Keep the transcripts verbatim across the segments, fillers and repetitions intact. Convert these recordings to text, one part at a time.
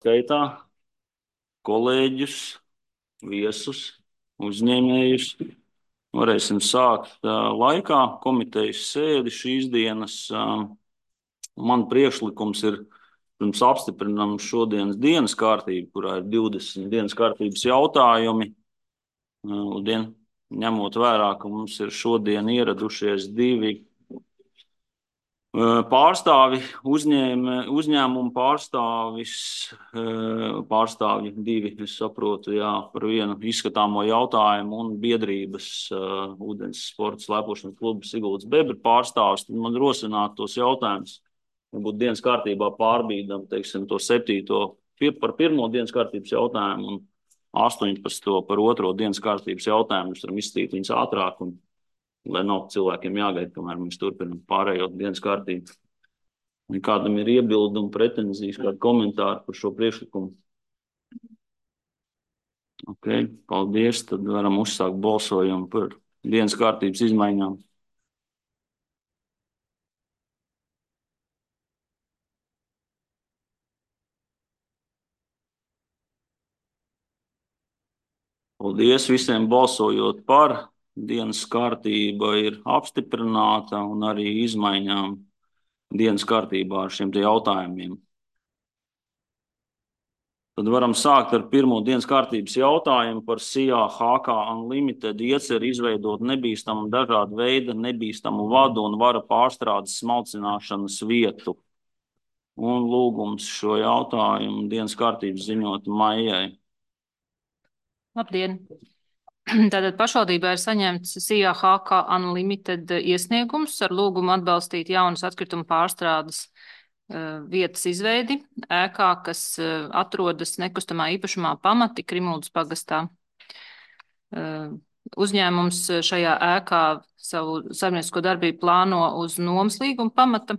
skaitā kolēģus, viesus, uzņēmējus. Varēsim sākt uh, laikā komitejas sēdi šīs dienas. Uh, man priekšlikums ir, pirms apstiprinām šodienas dienas kārtību, kurā ir divdesmit dienas kārtības jautājumi. Uh, dien, ņemot vērā, ka mums ir šodien ieradušies divi pārstāvi, uzņēm, uzņēmumu pārstāvis, pārstāvji divi, es saprotu, jā, par vienu izskatāmo jautājumu un biedrības uh, ūdens sporta slēpošanas kluba Siguldas Bebra pārstāvis, tad man rosināt tos jautājumus, varbūt dienas kārtībā pārbīdam, teiksim, to septīto pir, par pirmo dienas kārtības jautājumu un astoņpadsmito par otro dienas kārtības jautājumu, mēs varam izstīt viņus ātrāk un lai nav cilvēkiem jāgaida, kamēr mēs turpinām pārējo dienas kārtību. Ja kādam ir iebildumi, pretenzijas, kādi komentāri par šo priekšlikumu? Ok, paldies. Tad varam uzsākt balsojumu par dienas kārtības izmaiņām. Paldies visiem balsojot par. Dienas kārtība ir apstiprināta un arī izmaiņām dienas kārtībā ar šiem te jautājumiem. Tad varam sākt ar pirmo dienas kārtības jautājumu par S I A H K Unlimited ieceri izveidot nebīstamu dažādu veidu nebīstamu vadu un vara pārstrādes smalcināšanas vietu. Un lūgums šo jautājumu dienas kārtības ziņot Maijai. Labdien! Tātad pašvaldībā ir saņemts S I A H K Unlimited iesniegums ar lūgumu atbalstīt jaunas atkritumu pārstrādes uh, vietas izveidi ēkā, kas uh, atrodas nekustamā īpašumā Pamati Krimuldas pagastā. Uh, uzņēmums šajā ēkā savu saimniecisko darbību plāno uz nomas līguma pamata,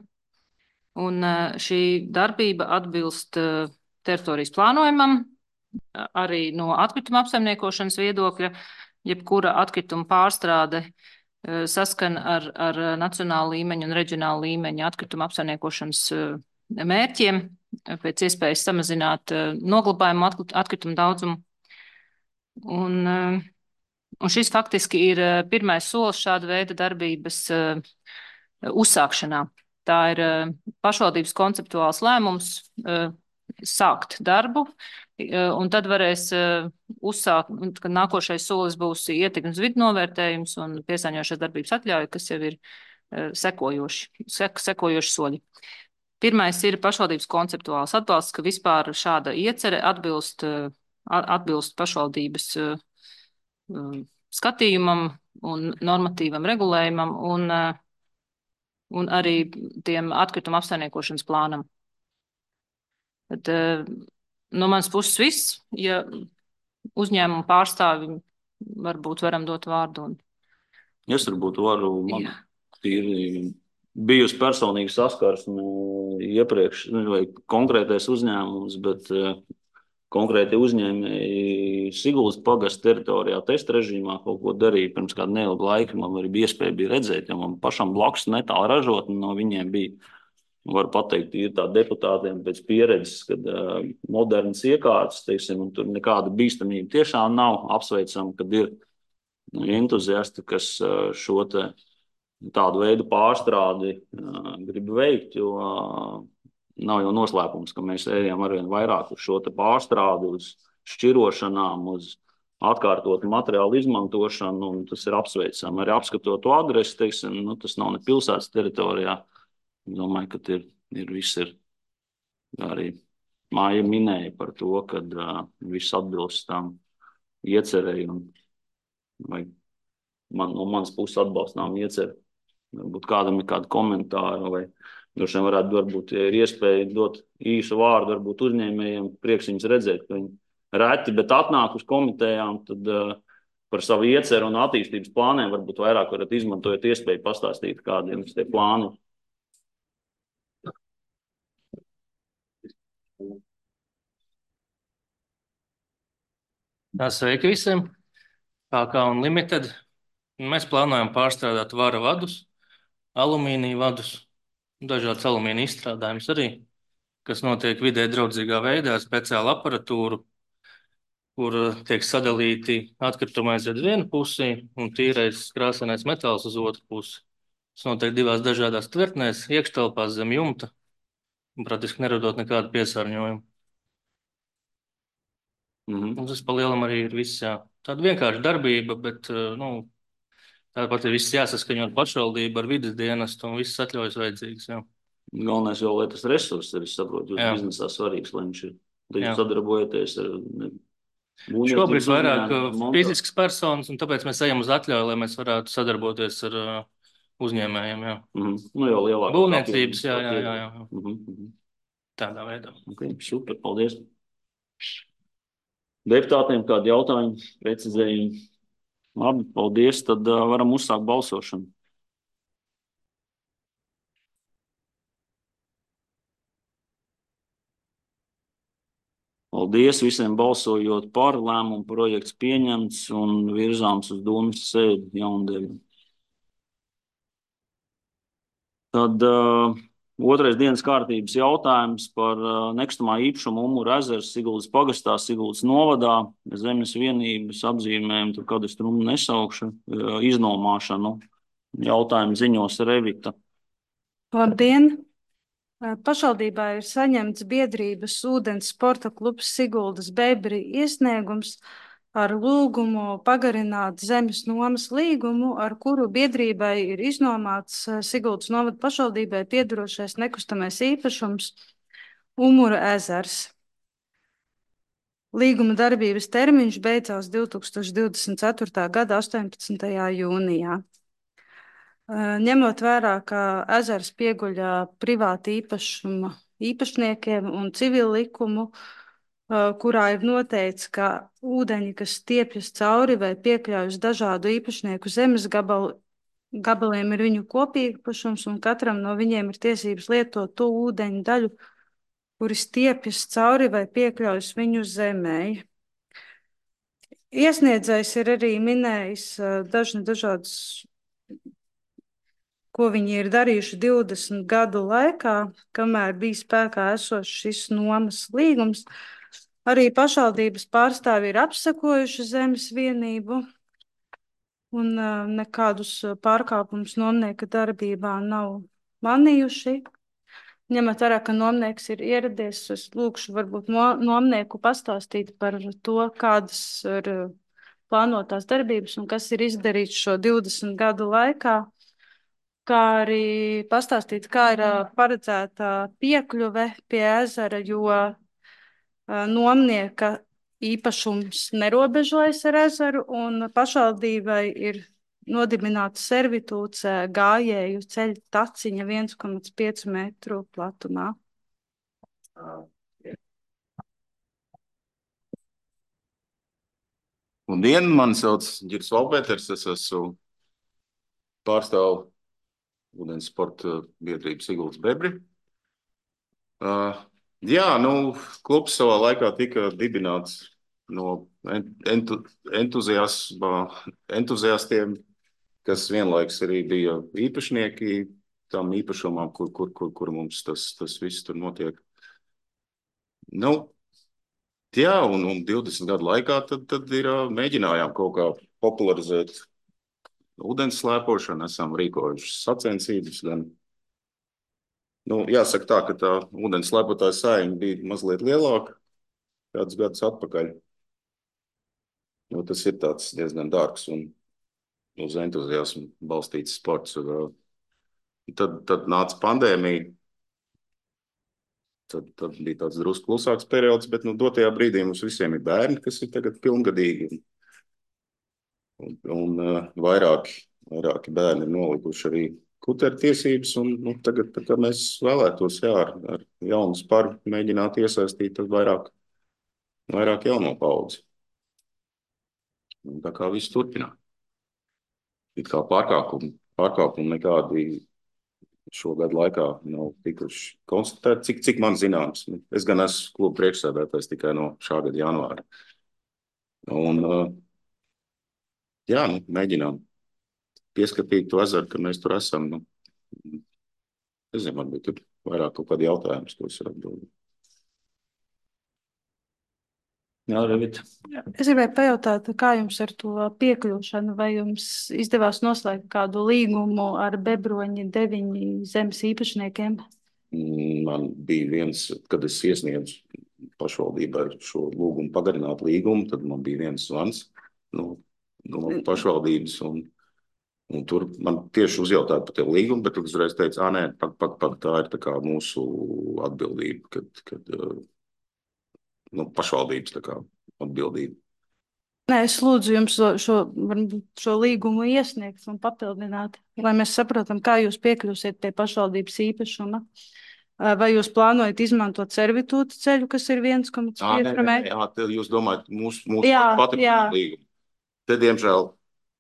un uh, šī darbība atbilst uh, teritorijas plānojumam, arī no atkrituma apsaimniekošanas viedokļa, jebkura atkrituma pārstrāde saskan ar, ar nacionālu līmeņu un reģionālu līmeņu atkrituma apsaimniekošanas mērķiem, pēc iespējas samazināt noglabājumu atkritumu daudzumu. Un, un šis faktiski ir pirmais solis šāda veida darbības uzsākšanā. Tā ir pašvaldības konceptuāls lēmums sākt darbu, un tad varēs uzsākt, kad nākošais solis būs ietekmes vidu novērtējums un piesāņojošās darbības atļauja, kas jau ir sekojoši, sek, sekojoši soļi. Pirmais ir pašvaldības konceptuāls atbalsts, ka vispār šāda iecere atbilst, atbilst pašvaldības skatījumam un normatīvam regulējumam un, un arī tiem atkrituma apsaimniekošanas plānam. Tad, no manas puses viss, ja uzņēmumu pārstāvi varbūt varam dot vārdu. Un... Es varbūt varu, man tīri bijusi personīgi saskarsme iepriekš, vai konkrētais uzņēmums, bet konkrēti uzņēmēji Siguldas pagasta teritorijā testa režīmā kaut ko darīja pirms kādu neilgu laiku. Man arī bija iespēja bija redzēt, jo man pašam blakus netālu ražotni no viņiem bija. Varu pateikt, ir tā deputātiem pēc pieredzes, kad uh, modernas iekārtas, teiksim, un tur nekāda bīstamība tiešām nav. Apsveicam, kad ir entuziasti, kas uh, šo te tādu veidu pārstrādi uh, grib veikt, jo uh, nav jau noslēpums, ka mēs ejam arvien vairāk uz šo te pārstrādi, uz šķirošanām, uz atkārtotu materiālu izmantošanu, un tas ir apsveicam. Arī apskatot to adresi, teiksim, nu, tas nav ne pilsētas teritorijā. Domāju, ka ir, ir viss ir arī Māja minēja par to, ka uh, viss atbilst tam iecerēji un vai man, no manas puses atbalstām ieceri. Varbūt kādam ir kādi komentāri vai droši vien varētu, varbūt, ja ir iespēja dot īsu vārdu, varbūt uzņēmējiem prieks viņus redzēt, ka viņi reti, bet atnāk uz komitejām, tad uh, par savu ieceru un attīstības plāniem varbūt vairāk varat izmantojot iespēju pastāstīt, kādiem tie plāni. Sveiki visiem! H K Unlimited. Mēs plānojam pārstrādāt vara vadus, alumīnija vadus, dažādas alumīnija izstrādājumus arī. kas notiek vidē draudzīgā veidā, speciāla aparatūra, kur tiek sadalīti atkritumi aiziet vienu pusi un tīrais krāsainais metāls uz otru pusi. Tas notiek divās dažādās tvertnēs, iekštelpās zem jumta, un praktiski neradot nekādu piesārņojumu. Mhm. Un tas pa lielam arī ir viss, jā. Tāda vienkārša darbība, bet, nu, tāpat ir viss jāsaskaņo ar pašvaldību, ar vides dienestu un viss atļaujas vajadzīgas, jā. Galvenais jau, lai tas resurss ir, es saprotu, jūs biznesā svarīgs, lai viņš ir. Tad jūs sadarbojaties ar Šobrīd vairāk fiziskas personas, un tāpēc mēs ejam uz atļauju, lai mēs varētu sadarboties ar uh, uzņēmējiem, jā. Mm-hmm. Nu jau lielāk. Būvniecības, jā, jā, jā, jā. Mm-hmm. Tādā veidā. Ok, super, paldies. Deputātiem kādi jautājumi, precizējumi? Labi, paldies, tad uh, varam uzsākt balsošanu. Paldies visiem balsojot par, lēmumu projekts pieņemts un virzāms uz Dūmas sēdi Jaundeļu. Tad uh, otrais dienas kārtības jautājums par uh, nekustamā īpašuma Umura ezers Siguldas pagastā, Siguldas novadā, zemes vienības apzīmējumu, tur kādu strumu nesaukšu, uh, iznomāšanu. Jautājumu ziņos Revita. Labdien! Pašvaldībā ir saņemts biedrības ūdens sporta klubs Siguldas Bebri iesniegums ar lūgumu pagarināt zemes nomas līgumu, ar kuru biedrībai ir iznomāts Siguldas novada pašvaldībai piedarošais nekustamais īpašums Umura ezers. Līguma darbības termiņš beidzās divtūkstoš divdesmit ceturtā gada astoņpadsmitajā jūnijā. Ņemot vērā, ka ezers pieguļ privāti īpašuma īpašniekiem un civilu likumu, kurā ir noteikts, ka ūdeņi, kas stiepjas cauri vai piekļaujas dažādu īpašnieku zemes gabalu, gabaliem, ir viņu kopīpašums, un katram no viņiem ir tiesības lietot to ūdeņu daļu, kuri stiepjas cauri vai piekļaujas viņu zemei. Iesniedzējs ir arī minējis dažni dažādas, ko viņi ir darījuši divdesmit gadu laikā, kamēr bija spēkā esošs šis nomas līgums. Arī pašvaldības pārstāvji ir apsekojuši zemes vienību un uh, nekādus pārkāpumus nomnieka darbībā nav manījuši. Ņemot vērā, ka nomnieks ir ieradies, es lūkšu varbūt no, nomnieku pastāstīt par to, kādas ir plānotās darbības un kas ir izdarīts šo divdesmit gadu laikā. Kā arī pastāstīt, kā ir paredzēta piekļuve pie ezera, jo nomnieka īpašums nerobežojas ar ezeru, un pašvaldībai ir nodibināta servitūts gājēju ceļa taciņa viens komats pieci metru platumā. Labdien, mani sauc Ģirs Valpēters, es esmu pārstāvu ūdens sporta biedrība Siguldas Bebri. Uh, jā, nu, klubs savā laikā tika dibināts no entu, entuziastiem, kas vienlaiks arī bija īpašnieki tam īpašumam, kur, kur, kur, kur mums tas, tas viss tur notiek. Nu, jā, un, un divdesmit gadu laikā tad, tad ir mēģinājām kaut kā popularizēt ūdens slēpošanu, esam rīkojuši sacensības gan. Nu, jāsaka tā, ka tā ūdens slēpotāja saima bija mazliet lielāka kādus gadus atpakaļ. Nu, tas ir tāds diezgan dārgs un uz entuziasmu balstīts sports. Tad, tad nāca pandēmija. Tad, tad bija tāds drusku klusāks periods, bet nu, dotajā brīdī mums visiem ir bērni, kas ir tagad pilngadīgi. Un, un uh, vairāki, vairāki bērni ir nolikuši arī kuteru tiesības, un nu, tagad tā, mēs vēlētos jā, ar, ar jaunu sparu mēģināt iesaistīt vairāk, vairāk jauno paudzi. Un tā kā viss turpināt. It kā pārkāpumi, pārkāpumi nekādi šogad laikā nav tikuši konstatēti, cik, cik man zināms. Es gan esmu kluba priekšsēdētājs tikai no šā gada janvāra. Un uh, jā, nu, mēģinām pieskatīt to ezeru, ka mēs tur esam. Nu, es zinu, varbūt tur vairāk kaut kādi jautājums, ko es varu atbildēt. Jā, Revita. Es gribēju pajautāt, kā jums ar to piekļūšanu, vai jums izdevās noslēgt kādu līgumu ar Bebroņi deviņi zemes īpašniekiem? Man bija viens, kad es iesniedzu pašvaldībai šo lūgumu pagarināt līgumu, tad man bija viens zvans no, no pašvaldības, un, un tur man tieši uzjautāja par tie līgumu, bet tad uzreiz teica, ā, nē, pak, pak, pak, tā ir tā kā mūsu atbildība, kad, kad nu, pašvaldības tā kā atbildība. Nē, es lūdzu jums šo, šo, šo līgumu iesniegt un papildināt, lai mēs saprotam, kā jūs piekļūsiet pie pašvaldības īpašuma. Vai jūs plānojat izmantot servitūta ceļu, kas ir viens komats pieci metri? Jā, tad jūs domājat mūsu, mūsu jā, pati jā. līgumu. Te, diemžēl,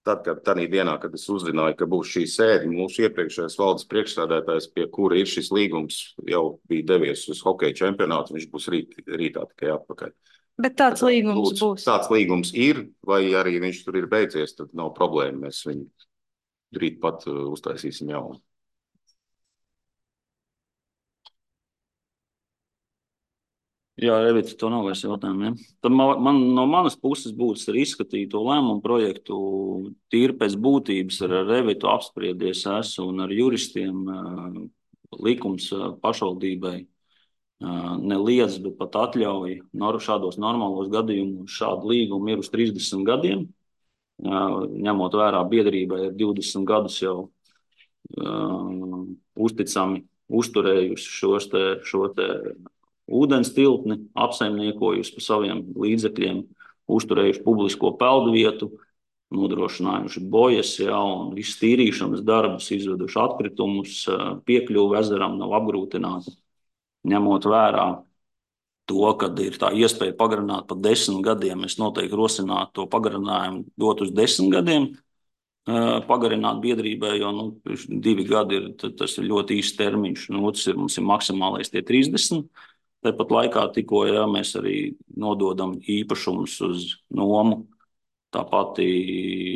tad, kad tādā dienā, kad es uzzināju, ka būs šī sēde, mūsu iepriekšējais valdes priekšsēdētājs, pie kura ir šis līgums, jau bija devies uz hokeja čempionātu, viņš būs rīt, rītā tikai atpakaļ. Bet tāds tad, līgums lūdzu, būs. Tāds līgums ir, vai arī viņš tur ir beidzies, tad nav problēma. Mēs viņu rīt pat uh, uztaisīsim jaunu. Jā, Revita, to nav vairs jautājumu. Ja? Tad man, man no manas puses būtu arī izskatīt to lēmumu projektu tīri pēc būtības ar Revitu apspriedies esmu un ar juristiem uh, likums uh, pašvaldībai uh, neliedz, bet pat atļauj nor, šādos normālos gadījumos šādu līgumu ir uz trīsdesmit gadiem. Uh, ņemot vērā biedrībai ir divdesmit gadus jau uh, uzticami uzturējusi šos te, šo te ūdens tiltni, apsaimniekojusi pa saviem līdzekļiem, uzturējuši publisko peldvietu, nodrošinājuši bojas, ja, un visu tīrīšanas darbus, izveduši atkritumus, piekļuvi ezeram nav apgrūtināta. Ņemot vērā to, kad ir tā iespēja pagarināt par desmit gadiem, es noteikti rosinātu to pagarinājumu dot uz desmit gadiem, pagarināt biedrībai, jo nu, divi gadi ir, tas ir ļoti īsts termiņš, un otrs ir, mums ir maksimālais tie trīsdesmit. Tāpat laikā tikko ja, mēs arī nododam īpašumus uz nomu. Tāpat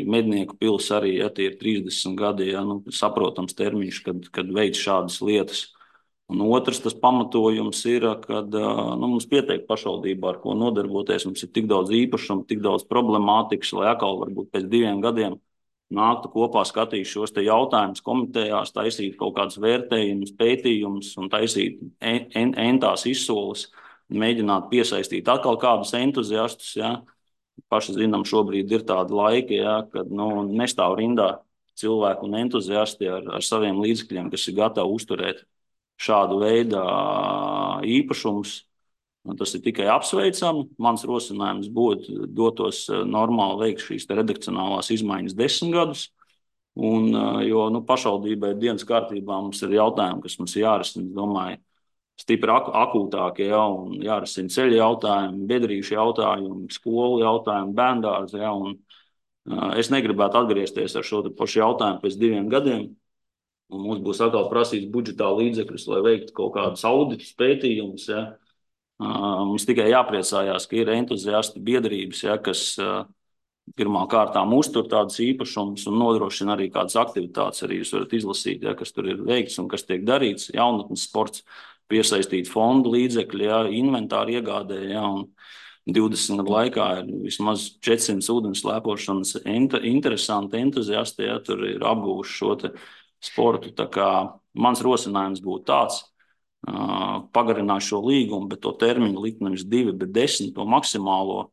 Mednieku pils arī, ja tie ir trīsdesmit gadi, ja, nu, saprotams termiņš, kad, kad veic šādas lietas. Un otrs tas pamatojums ir, kad nu, mums pietiek pašvaldībā, ar ko nodarboties. Mums ir tik daudz īpašumu, tik daudz problemātikas, lai atkal varbūt pēc diviem gadiem nāktu kopā skatīt šos te jautājumus komitejās, taisīt kaut kādus vērtējumus, pētījumus un taisīt en, en, entās izsoles, mēģināt piesaistīt atkal kādus entuziastus. Ja. Paši zinām, šobrīd ir tādi laiki, ja, kad nu, nestāv rindā cilvēku un entuziasti ar, ar saviem līdzekļiem, kas ir gatavi uzturēt šādu veidu īpašumus. Un tas ir tikai apsveicami. Mans rosinājums būtu dotos normāli veikt šīs redakcionālās izmaiņas desmit gadus. Un, jo nu, pašvaldībai dienas kārtībā mums ir jautājumi, kas mums jārisina, es domāju, stipri ak akūtākie, ja, un jārisina ceļu jautājumi, biedrīšu jautājumi, skolu jautājumi, bērndārzi. Ja, un, uh, es negribētu atgriezties ar šo pašu jautājumu pēc diviem gadiem. Un mums būs atkal prasīts budžetā līdzekļus, lai veiktu kaut kādus auditus, pētījumus. Ja. Uh, mums tikai jāpriecājās, ka ir entuziasti biedrības, ja, kas uh, pirmā kārtām uztur tādas īpašumus un nodrošina arī kādas aktivitātes. Arī jūs varat izlasīt, ja, kas tur ir veikts un kas tiek darīts. Jaunatnes sports, piesaistīt fondu līdzekļi, ja, inventāri iegādē. Ja, un divdesmit gadu laikā ir vismaz četrsimt ūdens slēpošanas enta, interesanti entuziasti, ja, tur ir apguvuši šo te sportu. Tā kā mans rosinājums būtu tāds. Uh, pagarināt šo līgumu, bet to termiņu likt nevis divi, bet desmit, to maksimālo.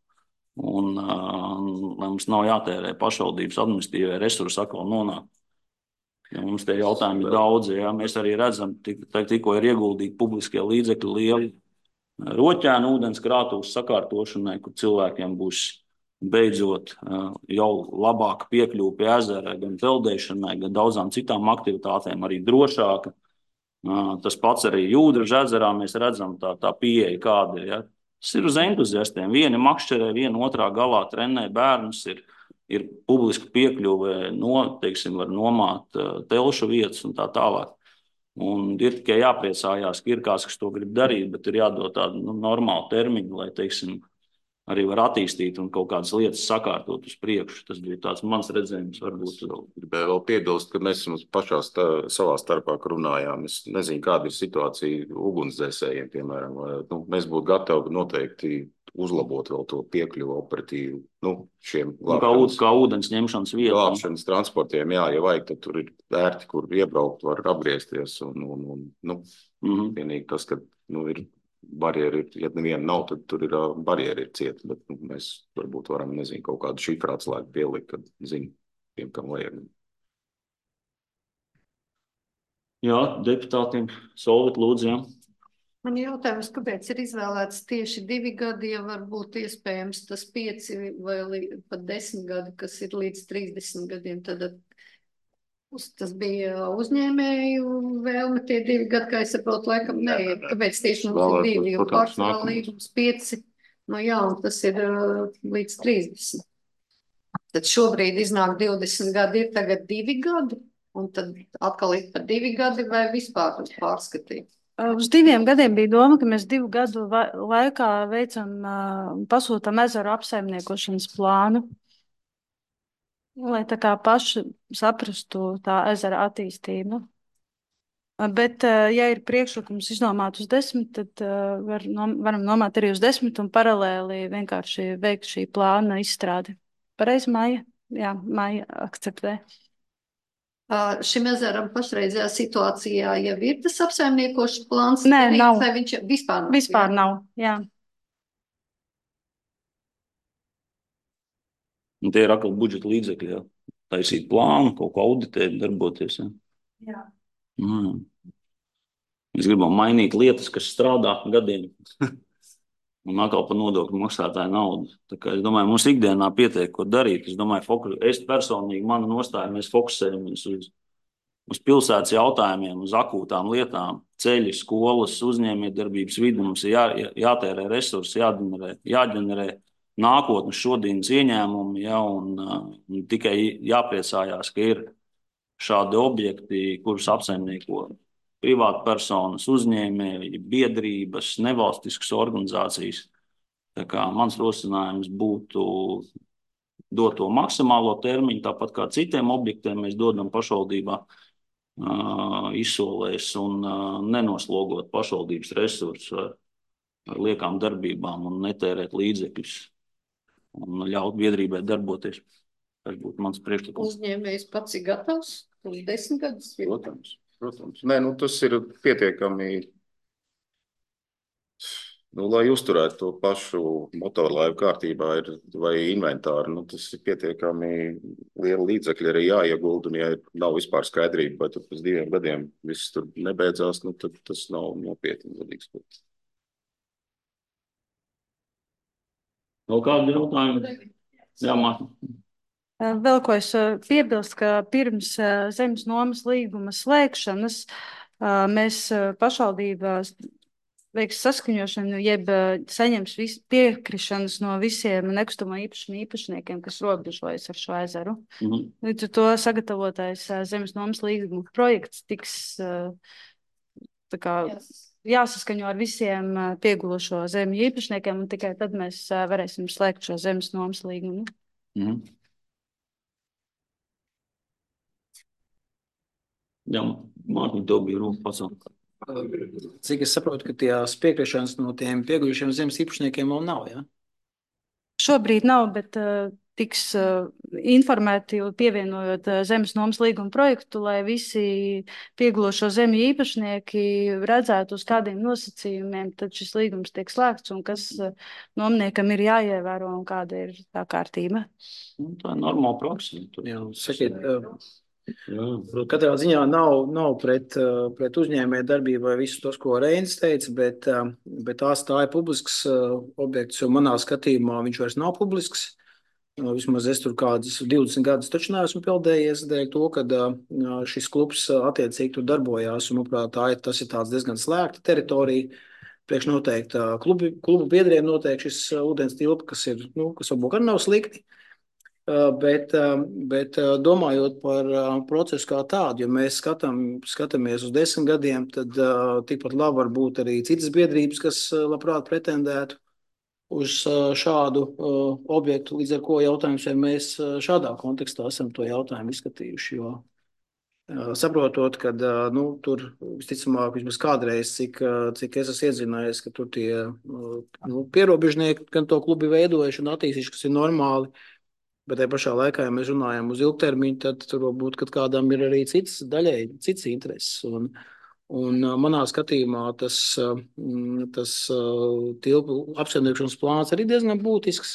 Un uh, lai mums nav jātērē pašvaldības administratīvie resursi atkal nonāk. Ja mums tie jautājumi ir daudzi, ja mēs arī redzam, tik, tikko ir ieguldīti publiskie līdzekļi lieli roķēnu ūdens krātuves sakārtošanai, kur cilvēkiem būs beidzot uh, jau labāka piekļuve pie ezera, gan peldēšanai, gan daudzām citām aktivitātēm, arī drošāka. Tas pats arī Jūdras ezerā mēs redzam tā, tā pieeja kāda ir. Ja. Tas ir uz entuziastiem. Vieni makšķerē, viena otrā galā trenē bērnus, ir, ir publiska piekļuve, no, teiksim, var nomāt uh, telšu vietas un tā tālāk. Un ir tikai jāpriecājās, ka ir kāds, kas to grib darīt, bet ir jādod tādu nu, normālu termiņu, lai, teiksim, arī var attīstīt un kaut kādas lietas sakārtot uz priekšu. Tas bija tāds mans redzējums, varbūt. Gribēju vēl piebilst, ka mēs pašā stā, savā starpā runājām. Es nezinu, kāda ir situācija ugunsdzēsējiem, piemēram. Nu, mēs būtu gatavi noteikti uzlabot vēl to piekļuvu operatīvu, nu, šiem nu, kā, ūd, kā ūdens ņemšanas vietām. Glābšanas transportiem, jā, ja vajag, tad tur ir ērti, kur iebraukt, var apgriezties. Un, un, un, nu, mm-hmm. vienīgi tas, ka nu, ir barjeri, ja neviena nav, tad tur ir barjeri ir cieta, bet nu, mēs varbūt varam, nezinu, kaut kādu šifrāts laiku pielikt, kad zinu, tiem, kam vajag. Jā, deputātiem Solvit lūdzu, jā. Man jautājums, kāpēc ir izvēlēts tieši divi gadi, ja varbūt iespējams tas pieci vai pat desmit gadi, kas ir līdz trīsdesmit gadiem, tad tas bija uzņēmēju vēlme tie divi gadi, kā es saprotu, laikam nē, kāpēc tieši mums ir divi, jo pārsvarā līgums pieci, no jā, un tas ir uh, līdz trīsdesmit. Tad šobrīd iznāk divdesmit gadi, ir tagad divi gadi, un tad atkal ir par divi gadi vai vispār pārskatīt. Uz diviem gadiem bija doma, ka mēs divu gadu laikā veicam, pasūtam ezeru apsaimniekošanas plānu, lai tā kā paši saprastu tā ezera attīstību. Bet, ja ir priekšlikums iznomāt uz desmit, tad var, varam nomāt arī uz desmit un paralēli vienkārši veikt šī plāna izstrādi. Pareizi, Maija? Jā, Maija akceptē. Uh, šim ezeram pašreizajā situācijā jau ir tas apsaimniekošanas plāns? Nē, nav. Vai viņš vispār nav? Vispār jā? Nav, jā. Un tie ir atkal budžeta līdzekļi, jā. Taisīt plānu, kaut ko auditēt, darboties, jā. Jā. Mm. Mēs gribam mainīt lietas, kas strādā gadiem. Un atkal par nodokļu maksātāju naudu. Tā kā es domāju, mums ikdienā pietiek, ko darīt. Es domāju, fokus, es personīgi, mana nostāja, mēs fokusējamies uz, uz pilsētas jautājumiem, uz akūtām lietām, ceļi, skolas, uzņēmējdarbības vidi. Mums ir jā, jātērē resursi, jāģenerē, jāģenerē nākotnes šodienas ieņēmumi, ja, un, un tikai jāpriecājās, ka ir šādi objekti, kurus apsaimnieko privāti personas, uzņēmēji, biedrības, nevalstiskas organizācijas. Tā kā mans rosinājums būtu dot to maksimālo termiņu, tāpat kā citiem objektiem mēs dodam pašvaldībā uh, izsolēs un uh, nenoslogot pašvaldības resursus ar, ar liekām darbībām un netērēt līdzekļus un ļaut biedrībai darboties. Tas būtu mans priekšlikums. Uzņēmējs pats ir gatavs uz desmit gadus? Protams. Protams. Nē, nu, tas ir pietiekami, nu, lai uzturētu to pašu motorlaivu kārtībā ir, vai inventāru. Nu, tas ir pietiekami liela līdzekļa arī jāiegulda, un ja nav vispār skaidrība, vai tad pēc diviem gadiem viss tur nebeidzās, nu, tad tas nav nopietni. Vēl kādi jautājumi? Jā, Mārta. Vēl ko es piebilst, ka pirms zemes nomas līguma slēgšanas mēs pašvaldībā veiks saskaņošanu, jeb saņems vis, piekrišanas no visiem nekustamo īpašumu īpašniekiem, kas robežojas ar šo ezeru. Mm-hmm. Līdz ar to sagatavotais zemes nomas līguma projekts tiks tā kā jāsaskaņo ar visiem piegulošo zemju īpašniekiem, un tikai tad mēs varēsim slēgt šo zemes nomas līgumu. Mm-hmm. Jā, Mārtiņ, tev bija rūpa pasauli. Cik es saprotu, ka tās piekrišanas no tiem pieguļušiem zemes īpašniekiem vēl nav, jā? Šobrīd nav, bet uh, tiks uh, informēti, pievienojot uh, zemes nomas līguma projektu, lai visi piegulošo zemju īpašnieki redzētu, uz kādiem nosacījumiem tad šis līgums tiek slēgts un kas uh, nomniekam ir jāievēro un kāda ir tā kārtība. Tā ir normāla praksa. Jā, sakiet, uh, Jā, katrā ziņā nav, nav pret, pret uzņēmēju darbību vai visu tos, ko Reinis teica, bet, bet tās tā ir publisks objekts, jo manā skatījumā viņš vairs nav publisks. Vismaz es tur kādus divdesmit gadus taču neesmu pildējies dēļ to, ka šis klubs attiecīgi tur darbojās, un, manuprāt, tā ir, tas ir tāds diezgan slēgta teritorija. Priekš noteikti klubu, klubu biedriem noteikti šis ūdens tilpa, kas ir, nu, kas varbūt arī nav slikti. Bet, bet domājot par procesu kā tādu, ja mēs skatām, skatāmies uz desmit gadiem, tad tikpat labi var būt arī citas biedrības, kas labprāt pretendētu. uz šādu uh, objektu, līdz ar ko jautājums, vai mēs šādā kontekstā esam to jautājumu izskatījuši, jo uh, saprotot, ka uh, nu, tur visticamāk, vismaz kādreiz, cik, uh, cik es esmu iedzinājies, ka tur tie uh, nu, pierobežnieki gan to klubi veidojuši un attīstījuši, kas ir normāli, bet tajā pašā laikā, ja mēs runājam uz ilgtermiņu, tad tur varbūt, kad kādam ir arī cits daļai, cits intereses. Un, Un manā skatījumā tas, tas tilpu apsaimniekošanas plāns arī diezgan būtisks.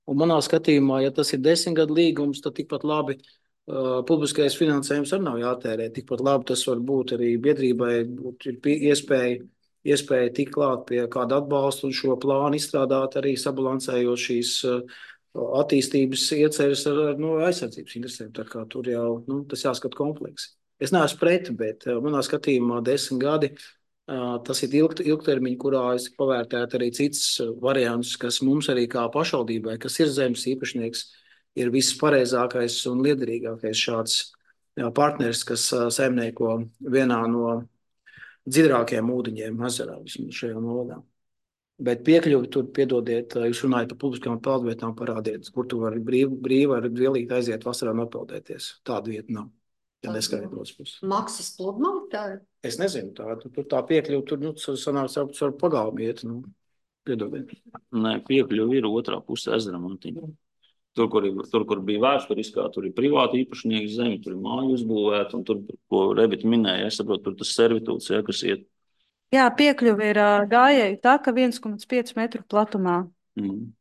Un manā skatījumā, ja tas ir desmit gadu līgums, tad tikpat labi uh, publiskais finansējums arī nav jātērē. Tikpat labi tas var būt arī biedrībai, būt iespēja, iespēja tikt klāt pie kāda atbalsta un šo plānu izstrādāt arī sabalansējot šīs uh, attīstības ieceres ar, ar no aizsardzības interesēm. Tā kā tur jau nu, tas jāskat kompleksi. Es neesmu pret, bet manā skatījumā desmit gadi tas ir ilgt, ilgtermiņi, kurā es pavērtētu arī cits variants, kas mums arī kā pašvaldībai, kas ir zemes īpašnieks, ir viss pareizākais un liederīgākais šāds partners, kas saimnieko vienā no dziļākajiem ūdeņiem ezerā vismaz šajā novadā. Bet piekļuvi tur, piedodiet, jūs runājat par publiskām peldvietām, parādiet, kur tu vari brīvi, brīvi ar dvielīt aiziet vasarā un apeldēties. Tāda vieta nav. Ja Maksas pludmali tā ir? Es nezinu, tā, tur tā piekļuva, tur, nu, sanāks ar, ar pagalmu iet, nu, piedodiet. Nē, piekļuva ir otrā pusē ezeram. Tur, kur, ir, tur, kur bija vēsturiskā, tur ir privāti īpašnieki zemi, tur ir māju uzbūvēta, un tur, ko Rebita minēja, es saprotu, tur tas servitūts, ja, kas iet. Jā, piekļuva ir gājēju taka viens komats pieci metru platumā. Mm.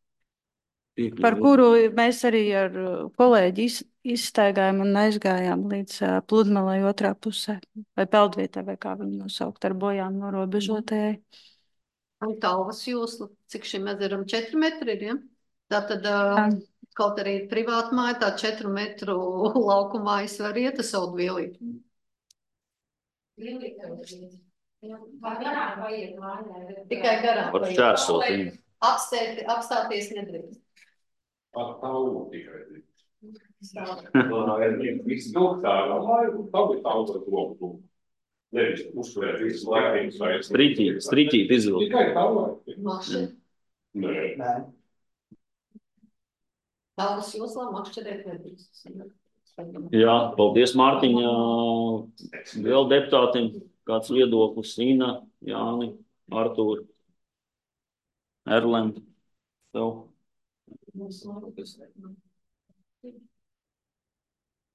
Piekļuvi. Par kuru mēs arī ar kolēģi iz, izstaigājām un aizgājām līdz uh, pludmalei otrā pusē, vai peldvietai, vai kā viņu nosaukt, ar bojām norobežotajai. Un Talvas jūsla, cik šim ezeram četri metri ir, ja? Tātad, uh, kaut arī privāta māja, tā četru metru laukumājas var iet ar savu dvielīt. Tikai garām. Par šķērsot. Apstēti, apstāties nedrīkst. Pat tavu tikai. Viss ilgtāk, tavu ir tavu roku. Nevis uzsvērt visu laiku. Striķīt, striķīt izvilkt. Tikai tavu. Mašķi. Nē. Tavas joslā makšķerēt nedrīkst. Jā, paldies Mārtiņa, vēl deputātiem. Kāds viedoklis? Ina, Jāni, Artūri, Erlend. Tev.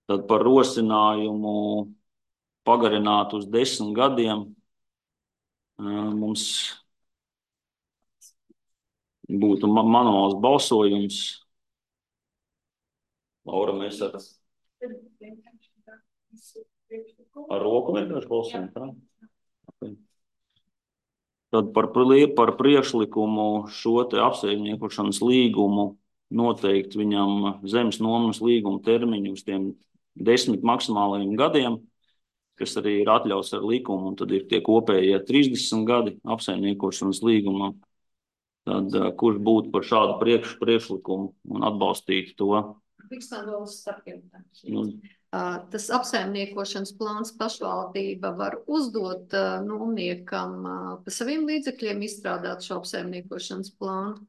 Tad par rosinājumu pagarināt uz desmit gadiem mums būtu manuāls balsojums. Laura, mēs ar, ar roku vienkārši balsojam, tā? Okay. Tad par, par priekšlikumu šo te apsaimniekošanas līgumu noteikt viņam zemes nomas līguma termiņu uz tiem desmit maksimālajiem gadiem, kas arī ir atļauts ar likumu, un tad ir tie kopējie trīsdesmit gadi apsaimniekošanas līgumam. Tad kurš būtu par šādu priekš, priekšlikumu un atbalstītu to? Nu. Tas apsaimniekošanas plāns pašvaldība var uzdot nomniekam pa saviem līdzekļiem izstrādāt šo apsaimniekošanas plānu.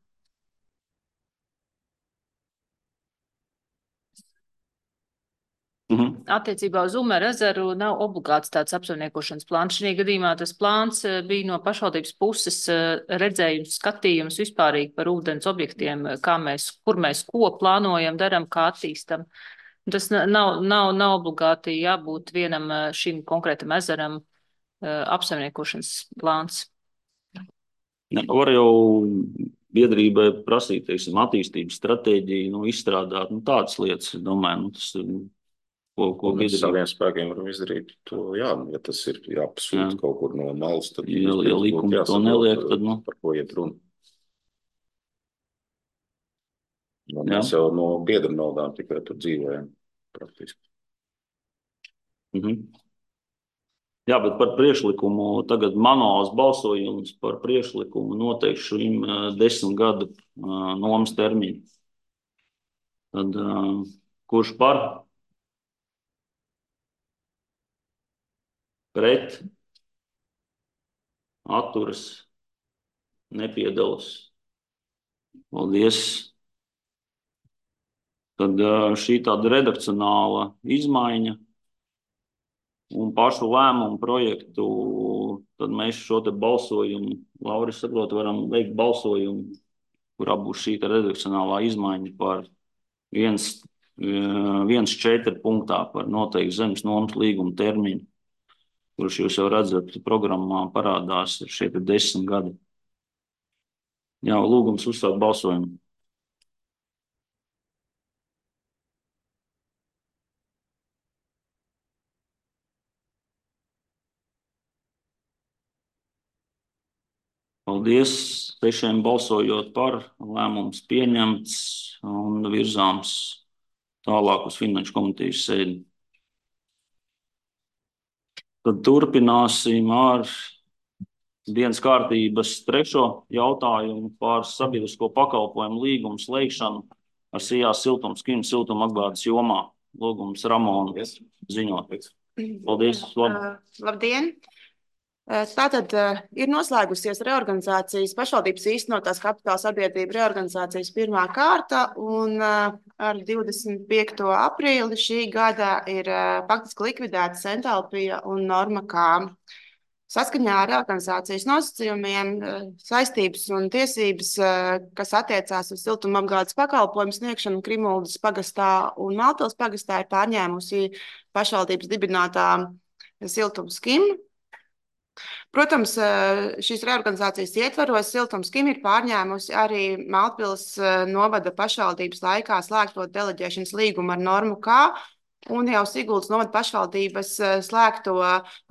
Mhm. Attiecībā uz Umeru ezeru nav obligāts tāds apsaimniekošanas plāns. Šī gadījumā tas plāns bija no pašvaldības puses redzējums, skatījums vispārīgi par ūdens objektiem, kā mēs, kur mēs ko plānojam, daram, kā attīstam. Tas nav, nav, nav obligāti jābūt vienam šim konkrētam ezeram apsaimniekošanas plāns. Ne, var jau biedrībai prasīt, teiksim, attīstības stratēģiju, nu, izstrādāt, nu, tādas lietas, es domāju, nu, tas ir. Ko, ko mēs saviem spēkiem varam izdarīt to, jā, ja tas ir jāpasūta jā. Kaut kur no malas, tad ja, ja likumi to neliek, tad, nu. Par ko iet runa. No, mēs jau no biedra naudām tikai tur dzīvojam praktiski. Mhm. Jā, bet par priekšlikumu tagad manuāls balsojums par priekšlikumu noteikti šim desmit gadu uh, nomas termiņu. Tad uh, kurš par? Pret, atturas, nepiedalas. Paldies. Tad šī tāda redakcionāla izmaiņa un pašu lēmumu projektu, tad mēs šo te balsojumu, Lauris, saprot, varam veikt balsojumu, kurā būs šī redakcionālā izmaiņa par viens, viens četri punktā par noteikti zemes nomas līguma termiņu, kurš jūs jau redzat programmā parādās ir šie te desmit gadi. Jā, lūgums uzsākt balsojumu. Paldies. Sešiem balsojot par, lēmums pieņemts un virzāms tālāk uz Finanšu komitejas sēdi. Tad turpināsim ar dienas kārtības trešo jautājumu par sabiedrisko pakalpojumu līgumu slēgšanu ar Sijā siltums, Kim siltuma apgādes jomā. Lūgums Ramonu ziņot. Paldies. Uh, labdien! Tātad ir noslēgusies reorganizācijas, pašvaldības īstenotās kapitāla sabiedrība reorganizācijas pirmā kārta, un ar divdesmit piekto aprīli šī gada ir faktiski likvidēta Entalpija un Norma K. Saskaņā ar reorganizācijas nosacījumiem saistības un tiesības, kas attiecās uz siltumapgādes pakalpojumu sniegšanu Krimuldas pagastā un Maltils pagastā, ir pārņēmusi pašvaldības dibinātā Siltums Kim. Protams, šīs reorganizācijas ietvaros Siltums Kim ir pārņēmusi arī Maltpils novada pašvaldības laikā slēgto deleģēšanas līgumu ar Normu K un jau Siguldas novada pašvaldības slēgto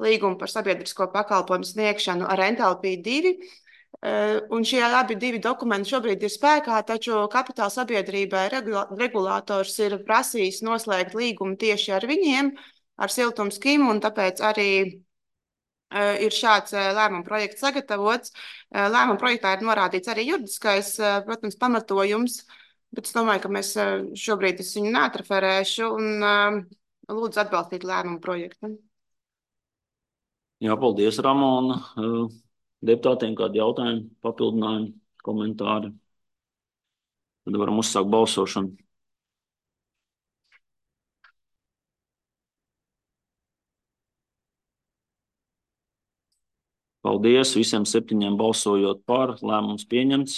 līgumu par sabiedrisko pakalpojumu sniegšanu ar Entalpiju divi. Un šie abi divi dokumenti šobrīd ir spēkā, taču kapitāla sabiedrībai regulators ir prasījis noslēgt līgumu tieši ar viņiem, ar Siltums Kim, un tāpēc arī ir šāds lēmuma projekts sagatavots. Lēmuma projektā ir norādīts arī juridiskais, protams, pamatojums, bet es domāju, ka mēs šobrīd es viņu neatreferēšu un lūdzu atbalstīt lēmuma projektu. Jā, paldies, Ramona. Deputātiem kādi jautājumi, papildinājumi, komentāri? Tad varam uzsākt balsošanu. Paldies, visiem septiņiem balsojot par, lēmums pieņemts.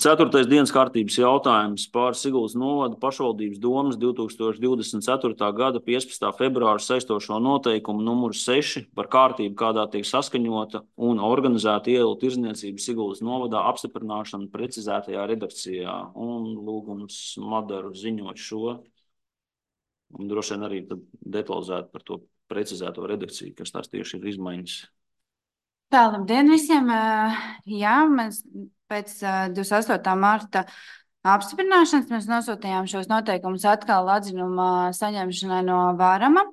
Ceturtais dienas kārtības jautājums par Siguldas novada pašvaldības domas divi tūkstoši divdesmit ceturtā gada piecpadsmitā februāra saistošo noteikumu numuru seši par kārtību, kādā tiek saskaņota un organizēta ielu tirdzniecība Siguldas novadā apstiprināšana precizētajā redakcijā. Un lūgums Madaru ziņot šo. Un droši vien arī detalizēt par to precizēto redakciju, kas tās tieši ir izmaiņas. Tā, labdien visiem! Jā, mēs pēc divdesmit astotā marta apstiprināšanas mēs nosūtījām šos noteikumus atkal atzinuma saņemšanai no Vārama.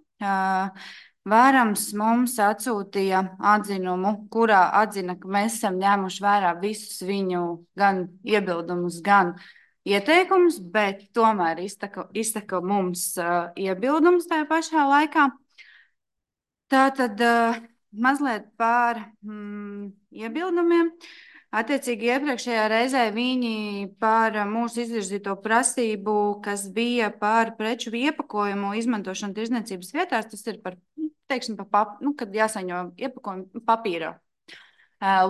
Vārams mums atsūtīja atzinumu, kurā atzina, ka mēs esam ņēmuši vērā visus viņu gan iebildumus, gan ieteikumus, bet tomēr iztaka, iztaka mums iebildums tajā pašā laikā. Tātad mazliet par mm, iebildumiem. Attiecīgi iepriekšējā reizē viņi par mūsu izvirzīto prasību, kas bija par preču iepakojumu izmantošanu tirdzniecības vietās, tas ir par, teiksim, par pap, nu, kad jāsaņo iepakojumu papīrā.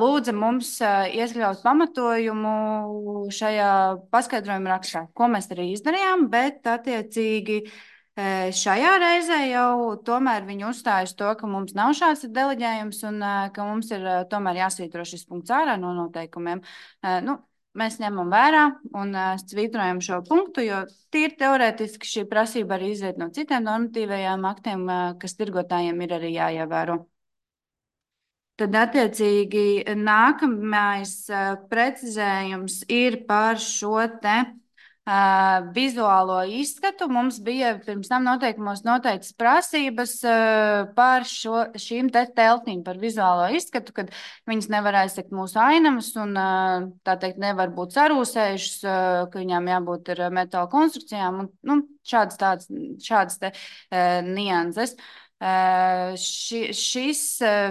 Lūdza mums ieskļaut pamatojumu šajā paskaidrojuma rakstā, ko mēs arī izdarījām, bet attiecīgi šajā reizē jau tomēr viņi uzstājas to, ka mums nav šāds deleģējums un ka mums ir tomēr jāsvītro šis punkts ārā no noteikumiem. Nu, mēs ņemam vērā un svītrojam šo punktu, jo tīri teorētiski šī prasība arī izriet no citiem normatīvajiem aktiem, kas tirgotājiem ir arī jāievēro. Tad attiecīgi nākamais precizējums ir par šo te Uh, vizuālo izskatu. Mums bija pirms tam noteikumos noteikts prasības uh, par šo, šīm te teltīm, par vizuālo izskatu, kad viņas nevar aizsekt mūsu ainamas un uh, tā teikt nevar būt sarūsējušas, uh, ka viņām jābūt ar metāla konstrukcijām un nu, šādas, tādas, šādas te uh, nianses. Ši, šis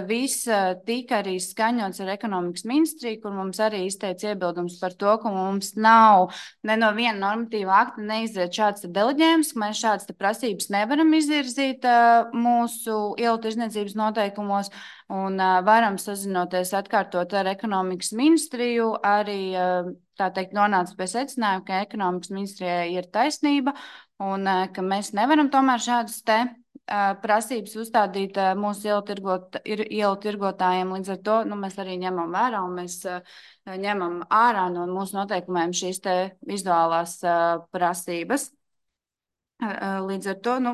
viss tika arī skaņots ar ekonomikas ministriju, kur mums arī izteica iebildums par to, ka mums nav ne no viena normatīva akta neizriet šāds deleģējums, ka mēs šādas prasības nevaram izvirzīt mūsu ielu tirdzniecības noteikumos un varam sazinoties atkārtot ar ekonomikas ministriju, arī tā teikt nonāca pie secinājuma, ka ekonomikas ministrijai ir taisnība un ka mēs nevaram tomēr šādas te prasības uzstādīt mūsu ielu, tirgot, ielu tirgotājiem. Līdz ar to nu, mēs arī ņemam vērā un mēs ņemam ārā no mūsu noteikumiem šīs te vizuālās prasības. Līdz ar to, nu,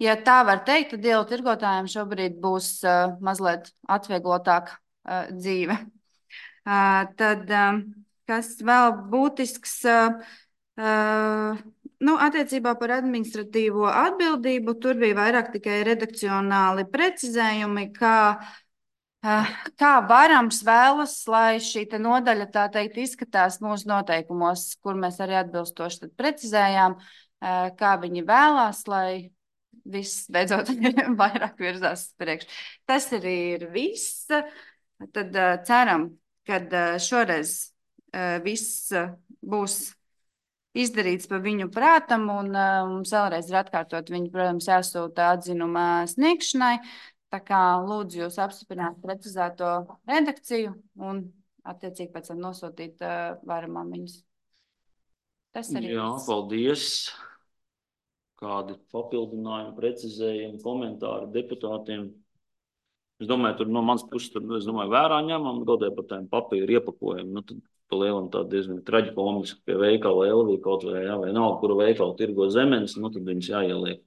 ja tā var teikt, tad ielu tirgotājiem šobrīd būs mazliet atvieglotāk dzīve. Tad, kas vēl būtisks, nu, attiecībā par administratīvo atbildību, tur bija vairāk tikai redakcionāli precizējumi, kā, kā varams vēlas, lai šī te nodaļa, tā teikt, izskatās mūsu noteikumos, kur mēs arī atbilstoši tad precizējām, kā viņi vēlās, lai viss beidzot vairāk virzās priekš. Tas arī ir viss. Tad ceram, ka šoreiz viss būs izdarīts pa viņu prātam, un uh, mums vēlreiz ir atkārtot viņu, protams, jāsūta atzinuma sniegšanai. Tā kā lūdzu jūs apstiprināt precizēto redakciju un attiecīgi pēc tam nosūtīt uh, varamām viņus. Tas arī. Jā, paldies. Kādi papildinājumi, precizējumi, komentāri deputātiem? Es domāju, tur no manas puses, tur, es domāju, vērā ņemam, godē par tādiem papīru iepakojumu. Nu, tad pa lielam tā diezgan traģikomiski pie veikala Elvija kaut vai, jā, vai nav, kuru veikalu tirgo zemenes, nu tad viņas jāieliek.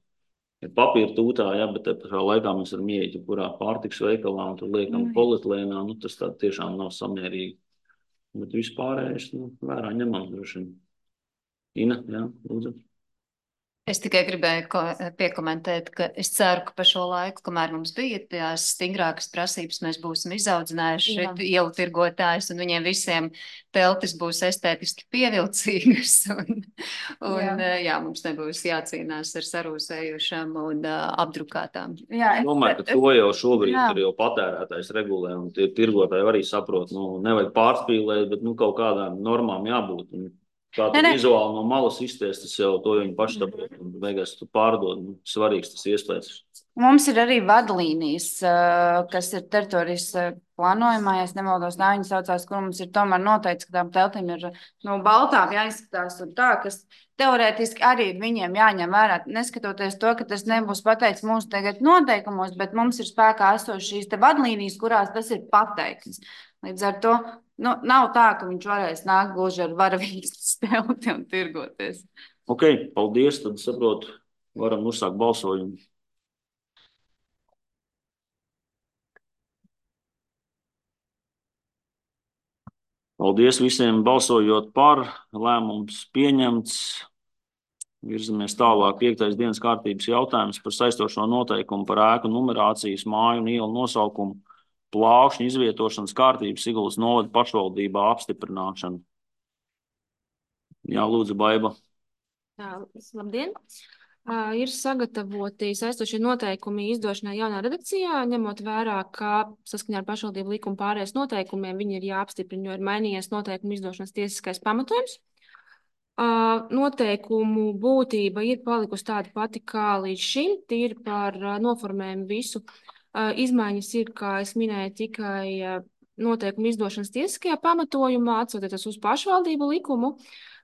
Ir papīra tūtā, jā, bet te pašā laikā mēs varam ieiet, kurā pārtiks veikalā, un tur liekam mm. polietilēnā, nu tas tā tiešām nav samērīgi. Bet vispārējais, nu, vērā ņemam droši. Ina, jā, lūdzu. Es tikai gribēju piekomentēt, ka es ceru, ka pa šo laiku, kamēr mums bija tās stingrākas prasības, mēs būsim izaudzinājuši ielu tirgotājus un viņiem visiem teltis būs estētiski pievilcīgas un, un jā. jā, mums nebūs jācīnās ar sarūsējušām un uh, apdrukātām. Jā, es domāju, ka to jau šobrīd jā. ir jau patērētājs regulē un tie tirgotāji arī saprot, nu, nevajag pārspīlēt, bet nu, kaut kādām normām jābūt. Un, kā tu vizuāli no malas izties, tas jau to viņi paši saprot un beigās tu pārdod. Nu, svarīgs tas iespējas. Mums ir arī vadlīnijas, kas ir teritorijas plānojumā, ja es nemaldos, nav viņi saucās, kur mums ir tomēr noteikts, ka tām teltīm ir no baltām jāizskatās un tā, kas teorētiski arī viņiem jāņem vērā, neskatoties to, ka tas nebūs pateikts mūsu tagad noteikumos, bet mums ir spēkā esošas šīs te vadlīnijas, kurās tas ir pateikts. Līdz ar to nu, nav tā, ka viņš varēs nākt gluži ar varavīgas telti un tirgoties. Ok, paldies, tad saprotu, varam uzsākt balsojumu. Paldies visiem balsojot par, lēmums pieņemts. Virzamies tālāk. Piektais dienas kārtības jautājums par saistošo noteikumu par ēku numerācijas, māju un ielu nosaukumu, plākšņu izvietošanas kārtības Siguldas novada pašvaldībā apstiprināšanu. Jā, lūdzu, Baiba. Jā, labdien. Uh, ir sagatavoti saistošie noteikumi izdošanai jaunā redakcijā, ņemot vērā, ka saskaņā ar pašvaldību likuma pārējais noteikumiem viņi ir jāapstiprina, jo ir mainījies noteikumu izdošanas tiesiskais pamatojums. Uh, noteikumu būtība ir palikusi tāda pati kā līdz šim, tīri par uh, noformējumu visu. Uh, izmaiņas ir, kā es minēju, tikai uh, noteikumu izdošanas tiesiskajā pamatojumā, atsaucoties uz pašvaldību likumu,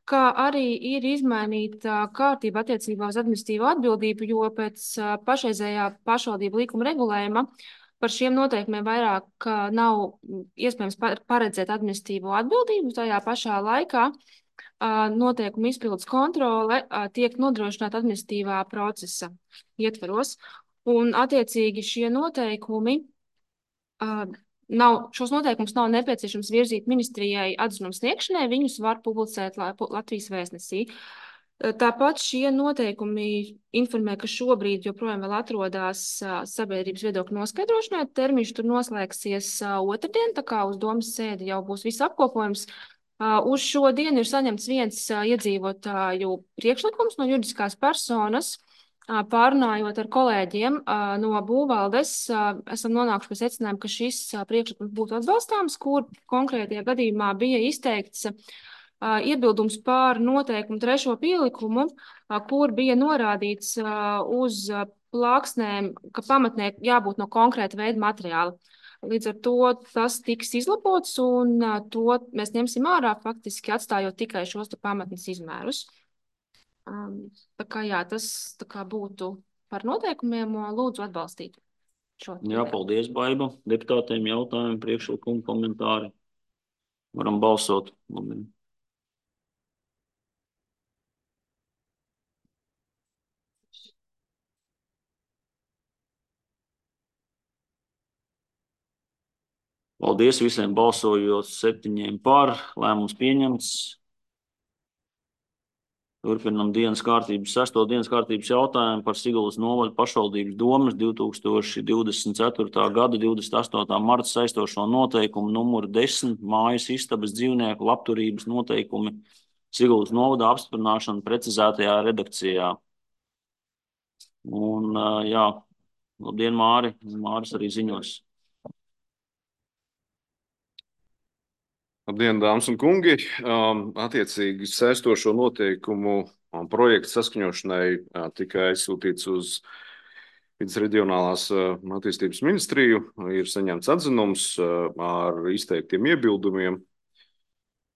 kā arī ir izmainīta kārtība attiecībā uz administratīvo atbildību, jo pēc uh, pašreizējā pašvaldību likuma regulējuma par šiem noteikumiem vairāk uh, nav iespējams paredzēt administratīvo atbildību. Tajā pašā laikā uh, noteikumu izpildes kontrole uh, tiek nodrošināta administratīvā procesa ietvaros. Un, attiecīgi, šie noteikumi, uh, nav, šos noteikumus nav nepieciešams virzīt ministrijai atzinuma sniegšanai, viņus var publicēt Latvijas vēstnesī. Uh, tāpat šie noteikumi informē, ka šobrīd joprojām vēl atrodas uh, sabiedrības viedokļu noskaidrošanai. Termiņš tur noslēgsies uh, otrdien, tā kā uz domas sēdi jau būs viss apkopojums. Uh, uz šo dienu ir saņemts viens uh, iedzīvotāju priekšlikums no juridiskās personas, Pārunājot ar kolēģiem no būvvaldes, esam nonākuši pie secinājuma, ka šis priekšlikums būtu atbalstāms, kur konkrētajā gadījumā bija izteikts iebildums pār noteikumu trešo pielikumu, kur bija norādīts uz plāksnēm, ka pamatnē jābūt no konkrēta veida materiāla. Līdz ar to tas tiks izlabots un to mēs ņemsim ārā, faktiski atstājot tikai šos pamatnes izmērus. Tā kā jā, tas tā kā būtu par noteikumiem, lūdzu atbalstīt šo. Jā, paldies, Baiba. Deputātiem jautājumi, priekšlikumi, komentāri. Varam balsot. Labi. Paldies visiem balsojot septiņiem par. Lēmums pieņemts. Turpinam dienas kārtības, sesto dienas kārtības jautājumu par Siguldas novada pašvaldības domes divi tūkstoši divdesmit ceturtā gada divdesmit astotā marta saistošo noteikumu numuru desmit mājas istabas dzīvnieku labturības noteikumi Siguldas novadā apstiprināšanu precizētajā redakcijā. Un, jā, labdien, Māri. Māris arī ziņos. Labdien, dāmas un kungi! Um, attiecīgi saistošo noteikumu um, projektu saskaņošanai uh, tika aizsūtīts uz Vides reģionālās uh, attīstības ministriju. Ir saņemts atzinums uh, ar izteiktiem iebildumiem.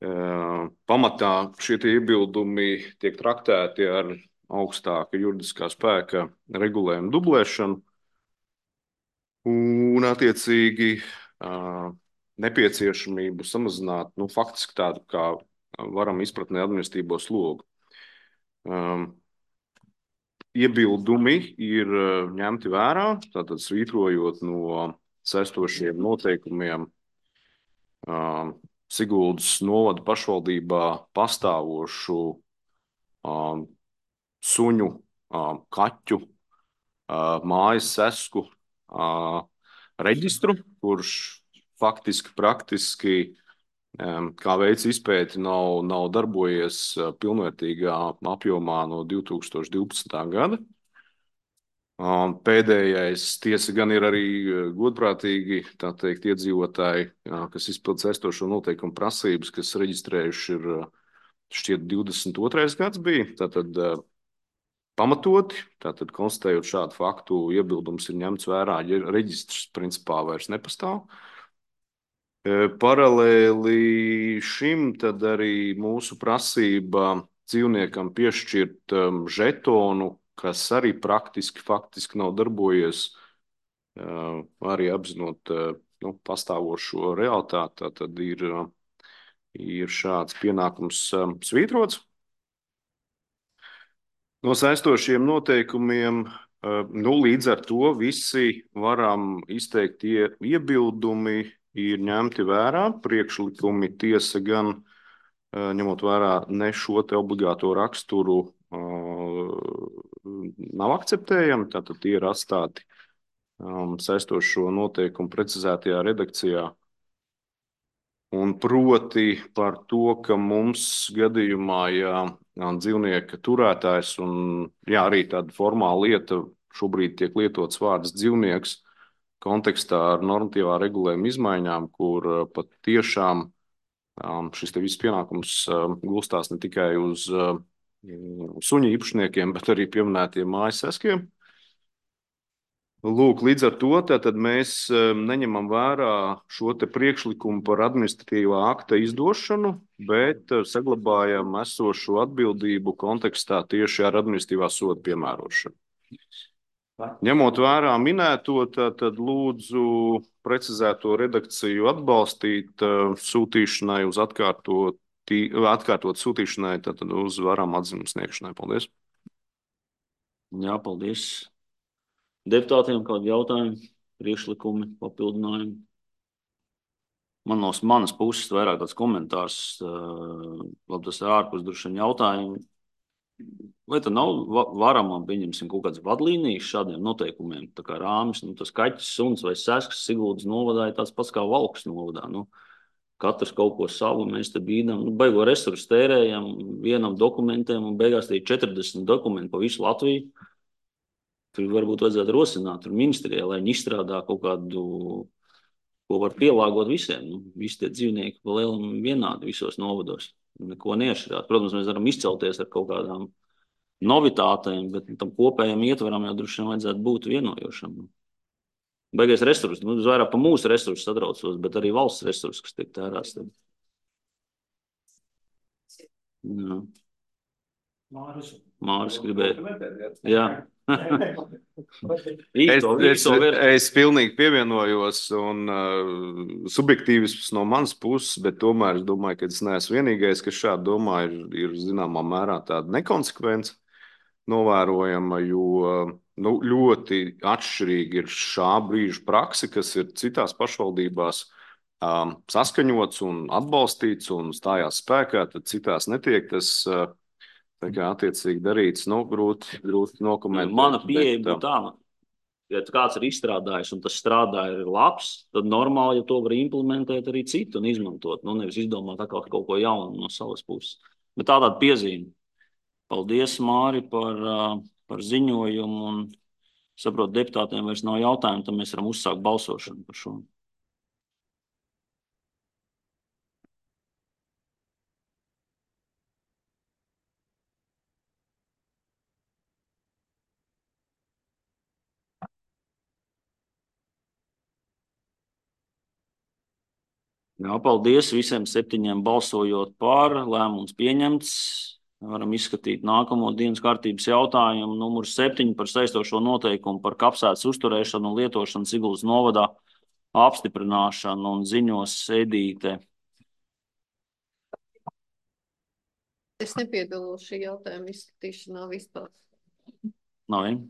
Uh, pamatā šie iebildumi tiek traktēti ar augstāka juridiskā spēka regulējumu dublēšanu. Un attiecīgi uh, nepieciešamību samazināt, nu, faktiski tādu, kā varam izpratnē administratīvo slogu. Um, iebildumi ir ņemti vērā, tātad svītrojot no saistošiem noteikumiem um, Siguldas novada pašvaldībā pastāvošu um, suņu, um, kaķu, uh, mājas sesku uh, reģistru, kurš faktiski, praktiski, kā veids izpēti nav, nav darbojies pilnvērtīgā apjomā no divi tūkstoši divpadsmitā gada. Pēdējais tiesa gan ir arī godprātīgi, tā teikt, iedzīvotāji, kas izpild saistošo noteikumu prasības, kas reģistrējuši ir šķiet divdesmit otrais gads bija, tātad pamatoti, tātad konstatējot šādu faktu, iebildums ir ņemts vērā, ja reģistrs principā vairs nepastāv. Paralēli šim tad arī mūsu prasība dzīvniekam piešķirt um, žetonu, kas arī praktiski, faktiski nav darbojies, uh, arī apzinot uh, nu, pastāvošo realitāti, tad ir, uh, ir šāds pienākums um, svītrots. No saistošiem noteikumiem, uh, nu, līdz ar to visi varam izteikt ie, iebildumi, ir ņemti vērā, priekšlikumi tiesa gan ņemot vērā ne šo te obligāto raksturu nav akceptējami, tātad tie ir atstāti saistošo noteikumu precizētajā redakcijā. Un proti par to, ka mums gadījumā, ja dzīvnieka turētājs un jā, arī tāda formāla lieta šobrīd tiek lietots vārds dzīvnieks, kontekstā ar normatīvā regulējuma izmaiņām, kur pat tiešām šis te viss pienākums gulstās ne tikai uz suņu īpašniekiem, bet arī pieminētiem mājas seskiem. Lūk, līdz ar to tātad mēs neņemam vērā šo te priekšlikumu par administratīvā akta izdošanu, bet saglabājam esošo atbildību kontekstā tieši ar administratīvā soda piemērošanu. Ņemot vērā minēto, tad lūdzu precizēto redakciju atbalstīt sūtīšanai uz atkārtot, atkārtot sūtīšanai, tad uz varam atzinumu sniegšanai. Paldies. Jā, paldies. Deputātiem kādi jautājumi, priekšlikumi, papildinājumi? Man no manas puses vairāk tāds komentārs, labi, tas ir ārpus droši vien jautājumi. Vai tad nav varama, pieņemsim, kaut kādas vadlīnijas šādiem noteikumiem, tā kā rāmis, nu, tas kaķis, suns vai seskas Siguldas novadā ir tāds pats kā Valkas novadā. Nu, katrs kaut ko savu, mēs te bīdam, nu, baigo resursu tērējam vienam dokumentiem un beigās tie četrdesmit dokumenti pa visu Latviju. Tur varbūt vajadzētu rosināt tur ministrijai, lai viņi izstrādā kaut kādu, ko var pielāgot visiem. Nu, visi tie dzīvnieki pa lielam vienādi visos novados. Neko neatšķirāt. Protams, mēs varam izcelties ar kaut kādām novitātēm, bet tam kopējam ietveram jau droši vien vajadzētu būt vienojošam. Baigais resursi, nu, vairāk pa mūsu resursus satraucos, bet arī valsts resursi, kas tiek tērēts. Jā. Māris. Māris gribēja. Jā. es, es, es pilnīgi pievienojos un uh, subjektīvisms no manas puses, bet tomēr es domāju, ka es neesmu vienīgais, kas šādi domā, ir, ir zināmā mērā tāda nekonsekvence novērojama, jo nu, ļoti atšķirīgi ir šā brīža prakse, kas ir citās pašvaldībās um, saskaņots un atbalstīts un stājās spēkā, tad citās netiek tas uh, tā kā attiecīgi darīts, nu, grūti, grūti nokomentēt. Mana pieeja būtu tā, ja kāds ir izstrādājis un tas strādā ir labs, tad normāli, ja to var implementēt arī citu un izmantot, nu, nevis izdomāt atkal kaut ko jaunu no savas puses. Bet tā tāda piezīme. Paldies, Māri, par, par ziņojumu un saprotu, deputātiem vairs nav jautājumu, tad mēs varam uzsākt balsošanu par šo. Jā, paldies visiem septiņiem balsojot par, lēmums pieņemts. Varam izskatīt nākamo dienas kārtības jautājumu. Numur septiņi par saistošo noteikumu par kapsētas uzturēšanu un lietošanu Siguldas novadā apstiprināšanu un ziņos Edīte. Es nepiedalos šī jautājuma izskatīšanā vispār. Nav vien?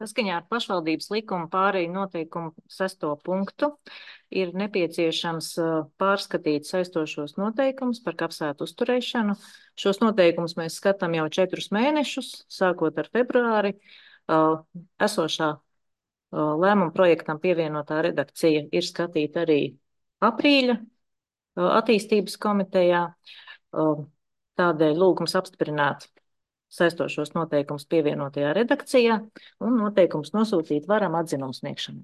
Saskaņā ar pašvaldības likuma pārēju noteikumu sesto punktu ir nepieciešams pārskatīt saistošos noteikumus par kapsētu uzturēšanu. Šos noteikumus mēs skatām jau četrus mēnešus, sākot ar februāri. Esošā lēmuma projektam pievienotā redakcija ir skatīta arī aprīļa attīstības komitejā. Tādēļ lūgums apstiprināt saistošos noteikumus pievienotajā redakcijā un noteikumus nosūtīt varam atzinumu sniegšanai.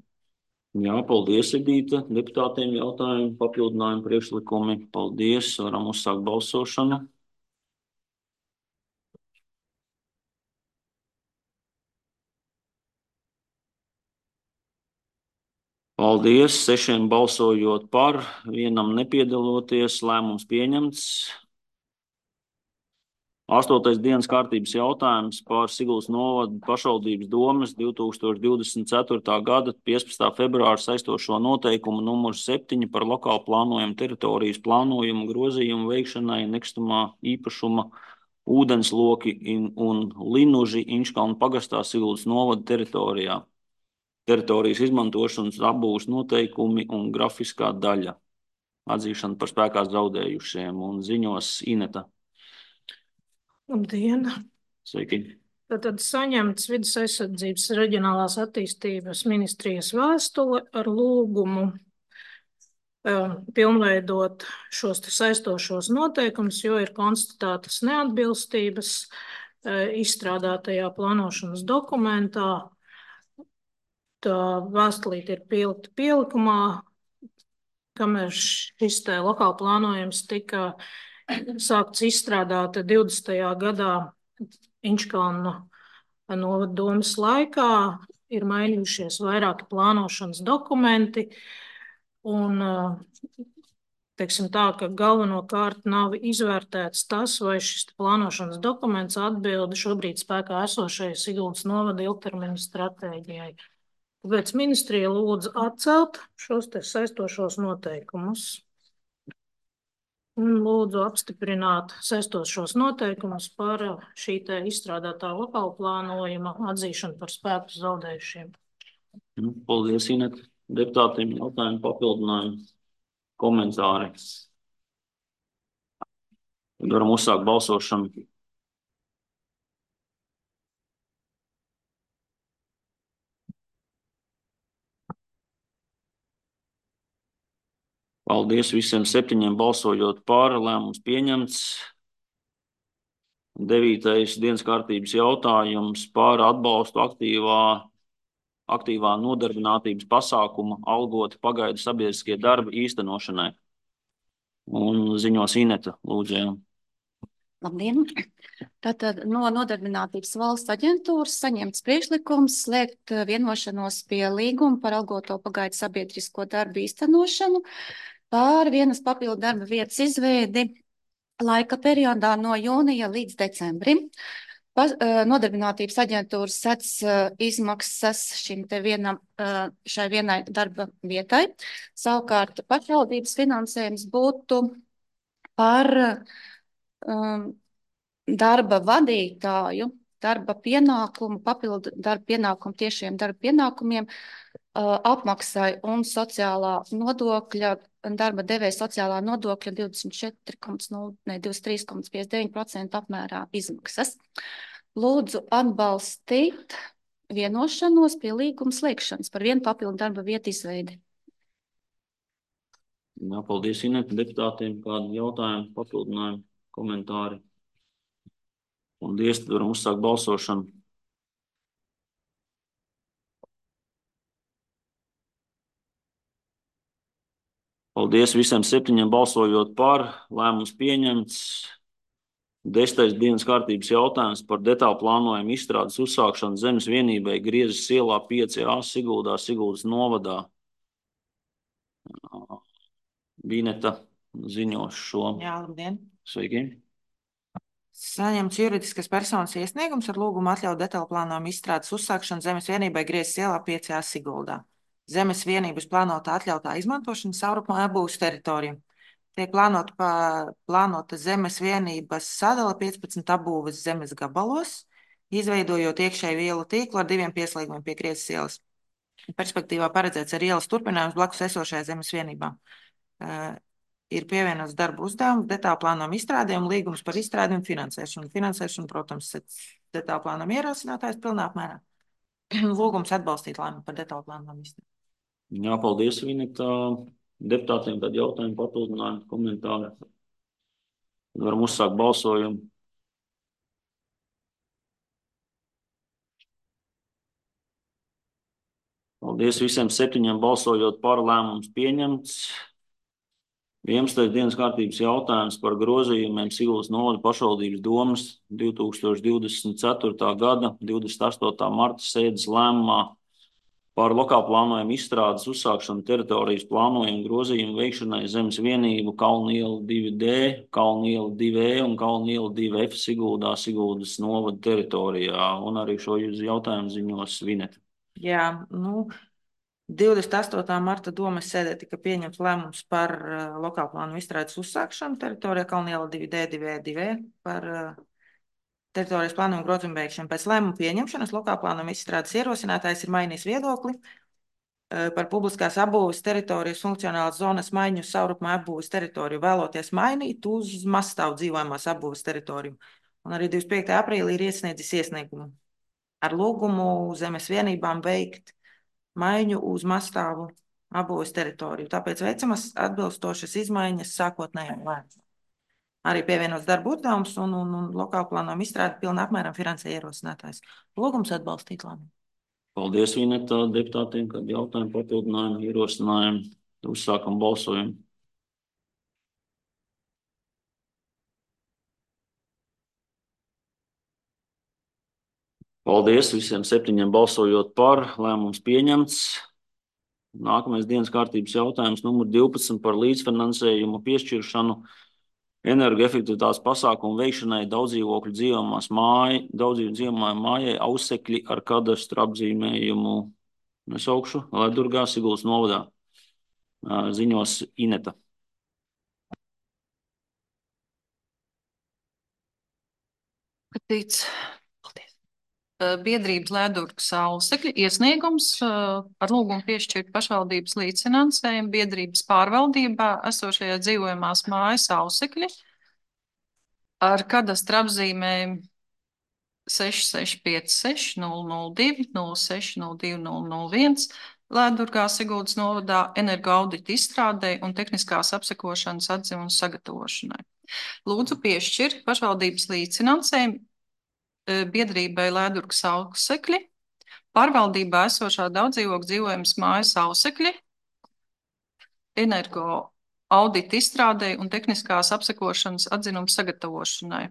Jā, paldies, Edīte. Deputātiem jautājumi, papildinājumi, priekšlikumi. Paldies, varam uzsākt balsošanu. Paldies, sešiem balsojot par, vienam nepiedaloties, lēmums pieņemts. Astotais dienas kārtības jautājums par Siguldas novada pašvaldības domes divi tūkstoši divdesmit ceturtā gada piecpadsmitā februāra saistošo noteikumu numur septiņi par lokālu plānojumu teritorijas plānojumu grozījumu veikšanai nekustamā īpašuma ūdensloki un linuži Inčkalnu pagastā Siguldas novada teritorijā. Teritorijas izmantošanas apbūves noteikumi un grafiskā daļa. Atzīšana par spēkā zaudējušiem un ziņos Ineta. Labdien! Sveiki! Tad saņemts Vides aizsardzības reģionālās attīstības ministrijas vēstule ar lūgumu um, pilnveidot šos saistošos noteikumus, jo ir konstatētas neatbilstības uh, izstrādātajā plānošanas dokumentā. Tā vēstulīte ir pielikta pielikumā, kamēr šis te lokāli plānojums tika sākts izstrādāt divdesmitajā gadā Inčkalnu novada domes laikā, ir mainījušies vairāki plānošanas dokumenti, un teiksim tā, ka galvenokārt nav izvērtēts tas, vai šis plānošanas dokuments atbilda šobrīd spēkā esošajai Siguldas novada ilgtermiņa stratēģijai. Tāpēc ministrija lūdza atcelt šos te saistošos noteikumus. Un lūdzu apstiprināt saistošos noteikumus par šī te izstrādātā lokāla plānojuma atzīšanu par spēku zaudējušiem. Paldies, Inet. Deputātiem jautājumi, papildinājumi, komentāri. Varam uzsākt balsošanu. Paldies visiem septiņiem balsojot par, lēmums pieņemts. Devītais dienas kārtības jautājums par atbalstu aktīvā, aktīvā nodarbinātības pasākuma algoti pagaidu sabiedriskie darbi īstenošanai. Un ziņos Ineta, lūdzu. Jā. Labdien! Tātad no Nodarbinātības valsts aģentūras saņemts priekšlikums slēgt vienošanos pie līguma par algoto pagaidu sabiedrisko darbu īstenošanu pār vienas papildu darba vietas izveidi laika periodā no jūnija līdz decembrim. Pa, Nodarbinātības aģentūras sec izmaksas šim te vienam, šai vienai darba vietai. Savukārt pašvaldības finansējums būtu par um, darba vadītāju, darba pienākumu, papildu darba pienākumu tiešiem darba pienākumiem, uh, apmaksai un sociālā nodokļa, darba devēja sociālā nodokļa divdesmit četri komats nulle, ne, divdesmit trīs komats piecdesmit deviņi procenti apmērā izmaksas. Lūdzu atbalstīt vienošanos pie līguma slēgšanas par vienu papildu darba vietu izveidi. Jā, paldies Ineta deputātiem. Kādi jautājumi, papildinājumi, komentāri? Paldies, tad varam uzsākt balsošanu. Paldies visiem septiņiem balsojot par, lēmums pieņemts. Desmitais dienas kārtības jautājums par detālu plānojumu izstrādes uzsākšanu zemes vienībai Griezes ielā pieci A Siguldā, Siguldas novadā. Vineta ziņos šo. Jā, labdien. Sveiki. Saņemts juridiskas personas iesniegums ar lūgumu atļaut detālu plānojumu izstrādes uzsākšanu zemes vienībai Griezes ielā pieci A Siguldā. Zemes vienības plānotā atļautā izmantošana savrupmā būs teritorija. Tiek plānota, pa, plānota zemes vienības sadala piecpadsmit apbūves zemes gabalos, izveidojot iekšēju ielu tīklu ar diviem pieslēgumiem pie Griezes ielas. Perspektīvā paredzēts ar ielas turpinājums blakus esošajā zemes vienībā. Uh, ir pievienots darba uzdevums, detālu plānojumu izstrādē un līgums par izstrādi un finansēšanu. Finansēšanu, protams, detālu plānojumu ierosinātājs pilnā apmērā. Lūgums atbalstīt lēmumu par detālu plānojumu izstrādi. Jā, paldies, Vineta. Deputātiem tad jautājumi, papildinājumi, komentāri. Tad varam uzsākt balsojumu. Paldies visiem septiņiem balsojot par, lēmums pieņemts. vienpadsmitais dienas kārtības jautājums par grozījumiem Siguldas novada pašvaldības domas divi tūkstoši divdesmit ceturtā gada divdesmit astotā marta sēdes lēmumā par lokālu plānojumu izstrādes uzsākšanu teritorijas plānojumu grozījumu veikšanai zemes vienību Kalnu iela divi D, Kalnu iela divi E un Kalnu iela divi F Siguldā, Siguldas novada teritorijā. Un arī šo jautājumu ziņos Vineta. Jā, nu, divdesmit astotā marta domas sēdē tika pieņemts lēmums par uh, lokālu plānu izstrādes uzsākšanu teritorijā Kalnu iela divi D, divi E, divi E par uh, teritorijas plānojumu grozījumu veikšanu. Pēc lēmuma pieņemšanas lokālu plānojumu izstrādes ierosinātājs ir mainījis viedokli uh, par publiskās apbūves teritorijas funkcionālas zonas maiņu uz savrupmā apbūves teritoriju, vēloties mainīt uz mazstāvu dzīvojamās apbūves teritoriju. Un arī divdesmit piektajā aprīlī ir iesniedzis iesniegumu ar lūgumu zemes vienībām veikt maiņu uz mazstāvu apbūves teritoriju. Tāpēc veicamas atbilstošas izmaiņas sākotnējām lēmumam. Arī pievienots darba uzdevums un, un, un lokālu plānojumu izstrādi pilnā apmēram finansē ierosinātājs. Lūgums atbalstīt lēmumu. Paldies, Vineta, deputātiem, kad jautājumu, papildinājumu, ierosinājumu. Uzsākam balsojumu. Paldies visiem septiņiem balsojot par, lēmums pieņemts. Nākamais dienas kārtības jautājums numur divpadsmit par līdzfinansējumu piešķiršanu energoefektivitātes pasākumu veikšanai daudzdzīvokļu dzīvojamās māja, daudzdzīvokļu dzīvojamā mājai Ausekļi ar kadastru apzīmējumu nesaukšu, Ledurgā, Siguldas novadā. Ziņos Ineta. Patīc. Biedrības Ledurgas Ausekļi iesniegums ar lūgumu piešķirt pašvaldības līdzfinansējumu biedrības pārvaldībā esošajā dzīvojamās mājas Ausekļi ar kadastra apzīmējumu seši seši pieci seši nulle nulle divi nulle seši nulle divi nulle nulle viens Lēdurgā, Siguldas novadā, energoaudita izstrādei un tehniskās apsekošanas atziņu sagatavošanai. Lūdzu piešķirt pašvaldības līdzfinansējumu biedrībai Lēdurgas ausekļi, pārvaldībā esošā daudzdzīvokļu dzīvojams mājas ausekļi, energo audita izstrādei un tehniskās apsekošanas atzinumu sagatavošanai.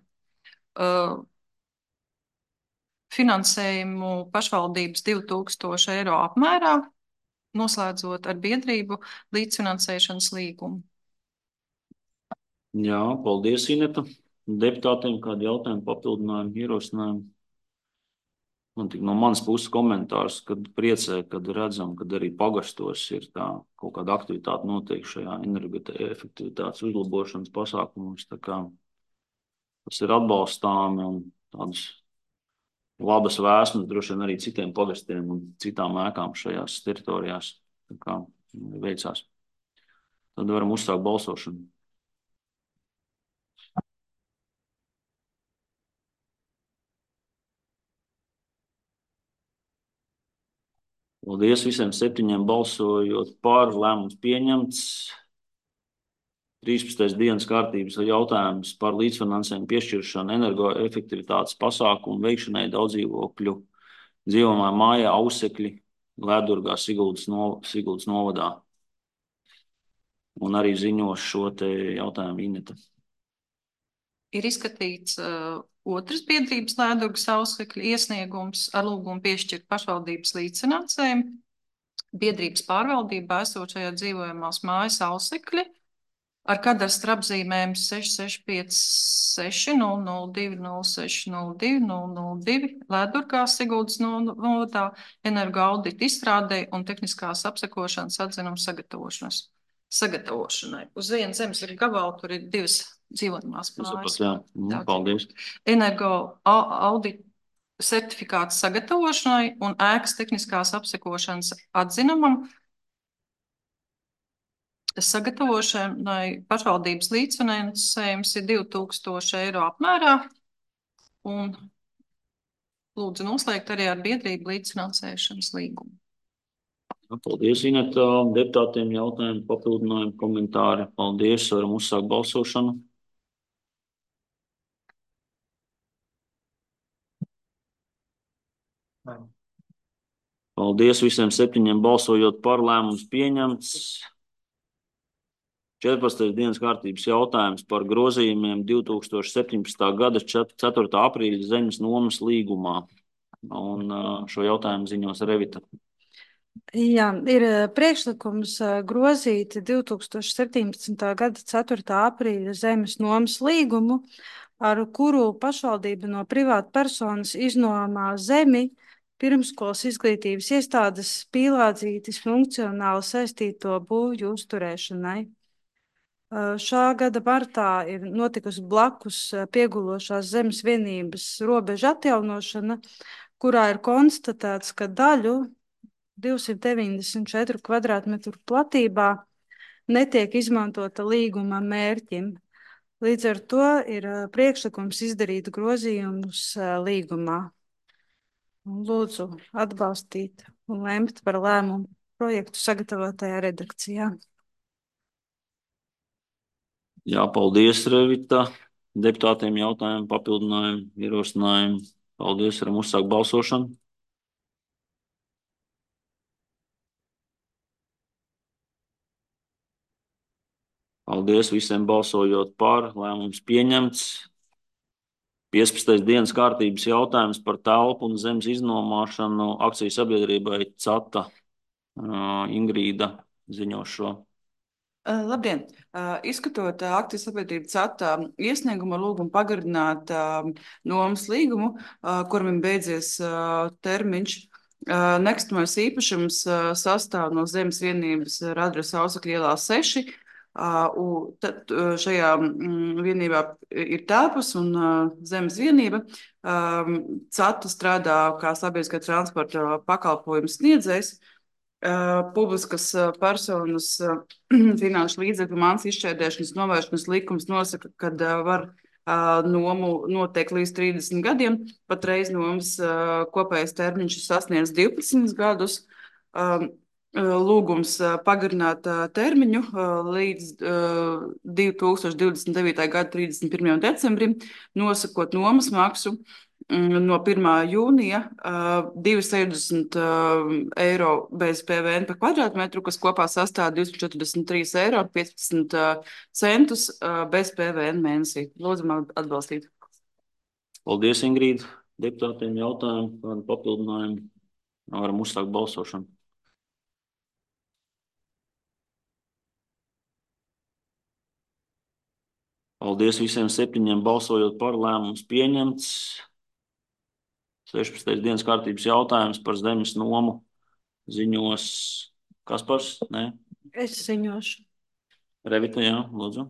Uh, finansējumu pašvaldības divi tūkstoši eiro apmērā, noslēdzot ar biedrību līdzfinansēšanas līgumu. Jā, paldies, Ineta. Deputātiem kādi jautājumi, papildinājumi, ierosinājumi? Man tik no manas puses komentārs, kad priecē, kad redzam, kad arī pagastos ir tā kaut kāda aktivitāte notiek šajā energoefektivitātes uzlabošanas pasākumus. Tā kā tas ir atbalstāmi un tādas labas vēsmas droši vien arī citiem pagastiem un citām ēkām šajās teritorijās. Tā kā veicās. Tad varam uzsākt balsošanu. Paldies visiem septiņiem balsojot par, lēmums pieņemts. trīspadsmitais dienas kārtības jautājums par līdzfinansējumu piešķiršanu energoefektivitātes pasākumu veikšanai daudzdzīvokļu dzīvojamā mājā ausekļi Lēdurgā, Siguldas, no, Siguldas novadā. Un arī ziņos šo te jautājumu Ineta. Ir izskatīts uh, otras biedrības Lēdurgas ausekļu iesniegums ar lūgumu piešķirt pašvaldības līdzfinansējumu. Biedrības pārvaldībā esošajā dzīvojamās mājas ausekļi ar kadastra apzīmēm seši seši pieci seši nulle nulle divi nulle seši nulle divi nulle nulle divi Lēdurgā, Siguldas novadā, energo audita izstrādei un tehniskās apsekošanas atzinumu sagatavošanas. sagatavošanai. Uz vienas zemes ir gabala, tur ir divas dzīvojamās mājas. Jā, paldies. Energo audita certifikāts sagatavošanai un ēkas tehniskās apsekošanas atzinumam sagatavošanai pašvaldības līdzfinansējums ir divi tūkstoši eiro apmērā un lūdzu noslēgt arī ar biedrību līdzfinansēšanas līgumu. Paldies, Ineta. Deputātiem jautājumi, papildinājumi, komentāri. Paldies, varam uzsākt balsošanu. Paldies visiem septiņiem balsojot par, lēmums pieņemts. četrpadsmitais dienas kārtības jautājums par grozījumiem divi tūkstoši septiņpadsmitā gada ceturtā aprīļa zemes nomas līgumā. Un šo jautājumu ziņos Revita. Jā, ir priekšlikums grozīt divi tūkstoši septiņpadsmitā gada ceturtā aprīļa zemes nomas līgumu, ar kuru pašvaldība no privāta personas iznomā zemi pirmskolas izglītības iestādes pīlādzītes funkcionāli saistīto būvju uzturēšanai. Šā gada martā ir notikusi blakus piegulošās zemes vienības robeža atjaunošana, kurā ir konstatēts, ka daļu divsimt deviņdesmit četru kvadrātmetru platībā netiek izmantota līguma mērķim. Līdz ar to ir priekšlikums izdarīt grozījumus līgumā. Lūdzu atbalstīt un lemt par lēmumu projektu sagatavotajā redakcijā. Jā, paldies, Revita. Deputātiem jautājumi, papildinājumi, ierosinājumi. Paldies, varam uzsākt balsošanu. Paldies visiem balsojot par, lēmums pieņemts. piecpadsmitais dienas kārtības jautājums par telpu un zemes iznomāšanu akciju sabiedrībai CATA. Uh, Ingrīda ziņo šo. Uh, labdien! Uh, izskatot uh, akciju sabiedrību CATA iesniegumu ar lūgumu pagarināt uh, nomas līgumu, uh, kuram ir beidzies uh, termiņš, uh, nekustamais īpašums uh, sastāv no zemes vienības ar adresi Ausekļu ielā seši. Uh, tad uh, šajā mm, vienībā ir telpas un uh, zemes vienība. Um, CATA strādā kā sabiedriskā transporta pakalpojumu sniedzējs. Uh, publiskas uh, personas uh, finanšu līdzekļu mans izšķērdēšanas novēršanas likums nosaka, ka uh, var uh, nomu noteikt līdz trīsdesmit gadiem. Patreiz nomas uh, kopējais termiņš ir sasniedz divpadsmit gadus. Um, lūgums pagarināt termiņu līdz divi tūkstoši divdesmit devītā gada trīsdesmit pirmajam decembrim, nosakot nomas maksu no pirmā jūnija divi sešdesmit eiro bez P V N par kvadrātmetru, kas kopā sastāv divsimt četrdesmit trīs eiro piecpadsmit centus bez P V N mēnesī. Lūdzam atbalstīt. Paldies, Ingrīda. Deputātiem jautājumu par papildinājumu. Varam uzsākt balsošanu. Paldies visiem septiņiem balsojot par, lēmums pieņemts. sešpadsmitais dienas kārtības jautājums par zemes nomu ziņos Kaspars, ne? Es ziņošu. Revita, jā, lūdzu.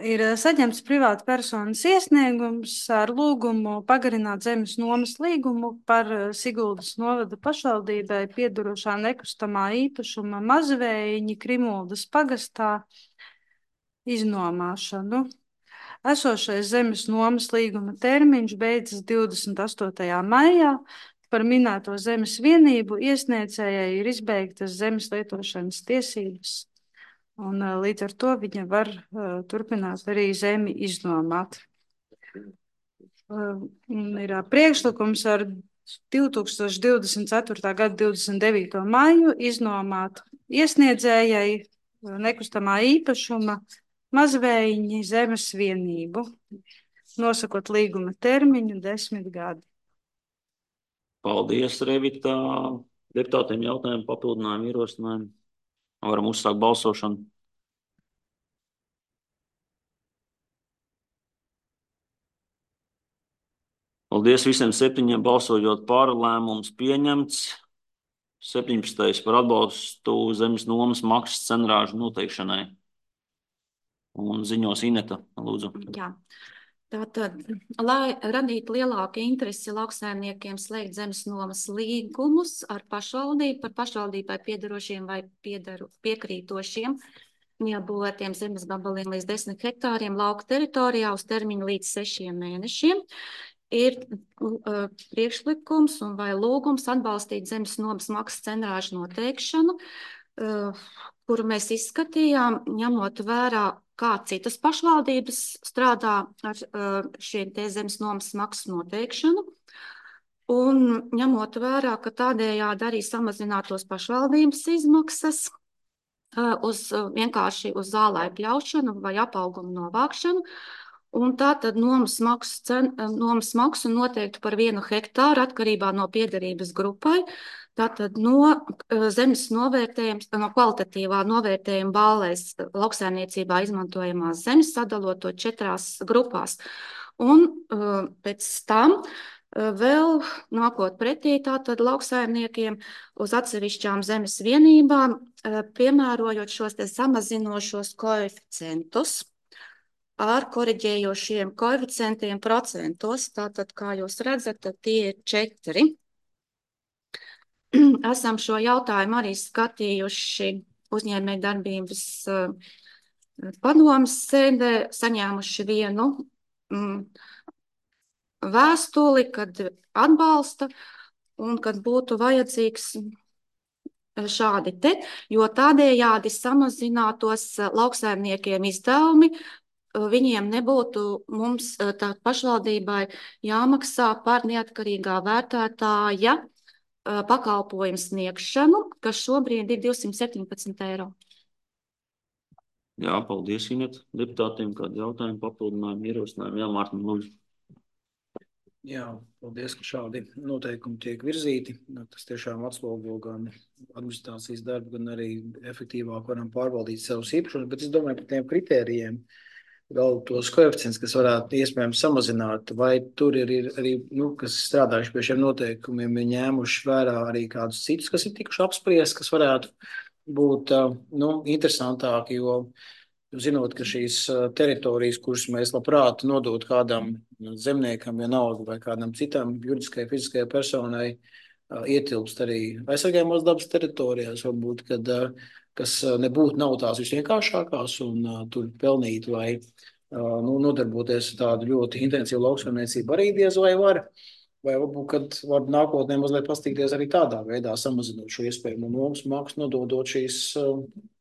Ir saņemts privāta personas iesniegums ar lūgumu pagarināt zemes nomas līgumu par Siguldas novada pašvaldībai piedarošā nekustamā īpašuma Mazvējiņi Krimuldas pagastā iznomāšanu. Esošais zemes nomas līguma termiņš beidzas divdesmit astotajā maijā. Par minēto zemes vienību iesniedzējai ir izbeigtas zemes lietošanas tiesības. Un līdz ar to viņa var uh, turpināt arī zemi iznomāt. Uh, ir uh, priekšlikums ar divi tūkstoši divdesmit ceturtā gada divdesmit devīto maiju iznomāt iesniedzējai uh, nekustamā īpašuma Mazvējiņi zemes vienību, nosakot līguma termiņu desmit gadi. Paldies, Revita. Deputātiem jautājumu, papildinājumu, ierosinājumu. Varam uzsākt balsošanu. Paldies visiem septiņiem balsojot par, lēmums pieņemts. septiņpadsmitais par atbalstu zemes nomas maksas cenrāžu noteikšanai. Un ziņos Ineta, lūdzu. Jā. Tātad, lai radītu lielāku interesi lauksaimniekiem slēgt zemes nomas līgumus ar pašvaldību par pašvaldībai piedarošiem vai piedaru, piekrītošiem neapbūvētiem zemes gabaliem līdz desmit hektāriem lauka teritorijā uz termiņu līdz sešiem mēnešiem, ir uh, priekšlikums un vai lūgums atbalstīt zemes nomas maksas cenrāžu noteikšanu, uh, kuru mēs izskatījām, ņemot vērā, kā citas pašvaldības strādā ar uh, šiem te zemes nomas maksas noteikšanu. Un ņemot vērā, ka tādējādi arī samazinātos pašvaldības izmaksas uh, uz uh, vienkārši uz zālē pļaušanu vai apaugumu novākšanu. Un tā tad nomas maksu, cen, nomas maksu noteiktu par vienu hektāru atkarībā no piederības grupai. Tātad no zemes novērtējums, no kvalitatīvā novērtējuma bālēs lauksaimniecībā izmantojamās zemes sadalot to četrās grupās. Un uh, pēc tam uh, vēl nākot pretī tātad lauksaimniekiem uz atsevišķām zemes vienībām, uh, piemērojot šos te samazinošos koeficientus ar koriģējošiem koeficientiem procentos. Tātad, kā jūs redzat, tie ir četri. Esam šo jautājumu arī skatījuši uzņēmēju darbības padomes sēdē, saņēmuši vienu mm, vēstuli, kad atbalsta un kad būtu vajadzīgs šādi te, jo tādējādi samazinātos lauksaimniekiem izdevumi, viņiem nebūtu mums tā pašvaldībai jāmaksā par neatkarīgā vērtētāja pakalpojumu sniegšanu, kas šobrīd ir divsimt septiņpadsmit eiro. Jā, paldies, Inet. Deputātiem kādu jautājumu, papildinājumu, ierosinājumu. Jā, Mārtiņ, lūdzu. Jā, paldies, ka šādi noteikumi tiek virzīti. Tas tiešām atslogo gan administrācijas darbu, gan arī efektīvāk varam pārvaldīt savus īpašumus, bet es domāju par tiem kritērijiem, vēl tos koeficients, kas varētu iespējams samazināt, vai tur ir, ir arī, nu, kas strādājuši pie šiem noteikumiem, ir ņēmuši vērā arī kādus citus, kas ir tikuši apspriest, kas varētu būt, nu, interesantāki, jo zinot, ka šīs teritorijas, kuras mēs labprāt nodot kādam zemniekam vienalga vai kādam citam juridiskai, fiziskai personai, ietilpst arī aizsargājumās dabas teritorijās, varbūt, kad kas nebūtu nav tās visvienkāršākās un uh, tur pelnīt vai uh, nu, nodarboties tādu ļoti intensīvu lauksaimniecību arī diez vai var. vai varbūt, kad var nākotnē mazliet pastīties arī tādā veidā, samazinot šo iespējamo nomas maksu, nododot šīs,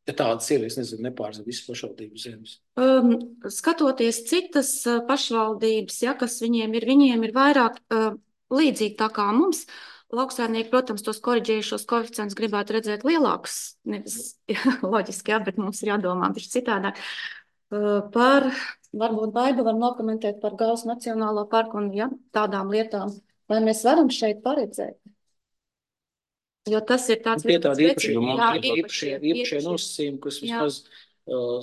ja tādas ir, es nezinu, nepārzina visas pašvaldības zemes. Um, skatoties citas uh, pašvaldības, ja, kas viņiem ir, viņiem ir vairāk uh, līdzīgi tā kā mums. Lauksaimnieki, protams, tos koriģējušos koeficientus gribētu redzēt lielākus, nevis loģiski, jā, bet mums ir jādomā bišķi citādāk. Uh, par, varbūt Baiba var nokomentēt par Gausu Nacionālo parku un ja, tādām lietām, vai mēs varam šeit paredzēt? Jo tas ir tāds... Tie tādi īpašie, īpašie, īpašie nosacījumi, kas vismaz uh,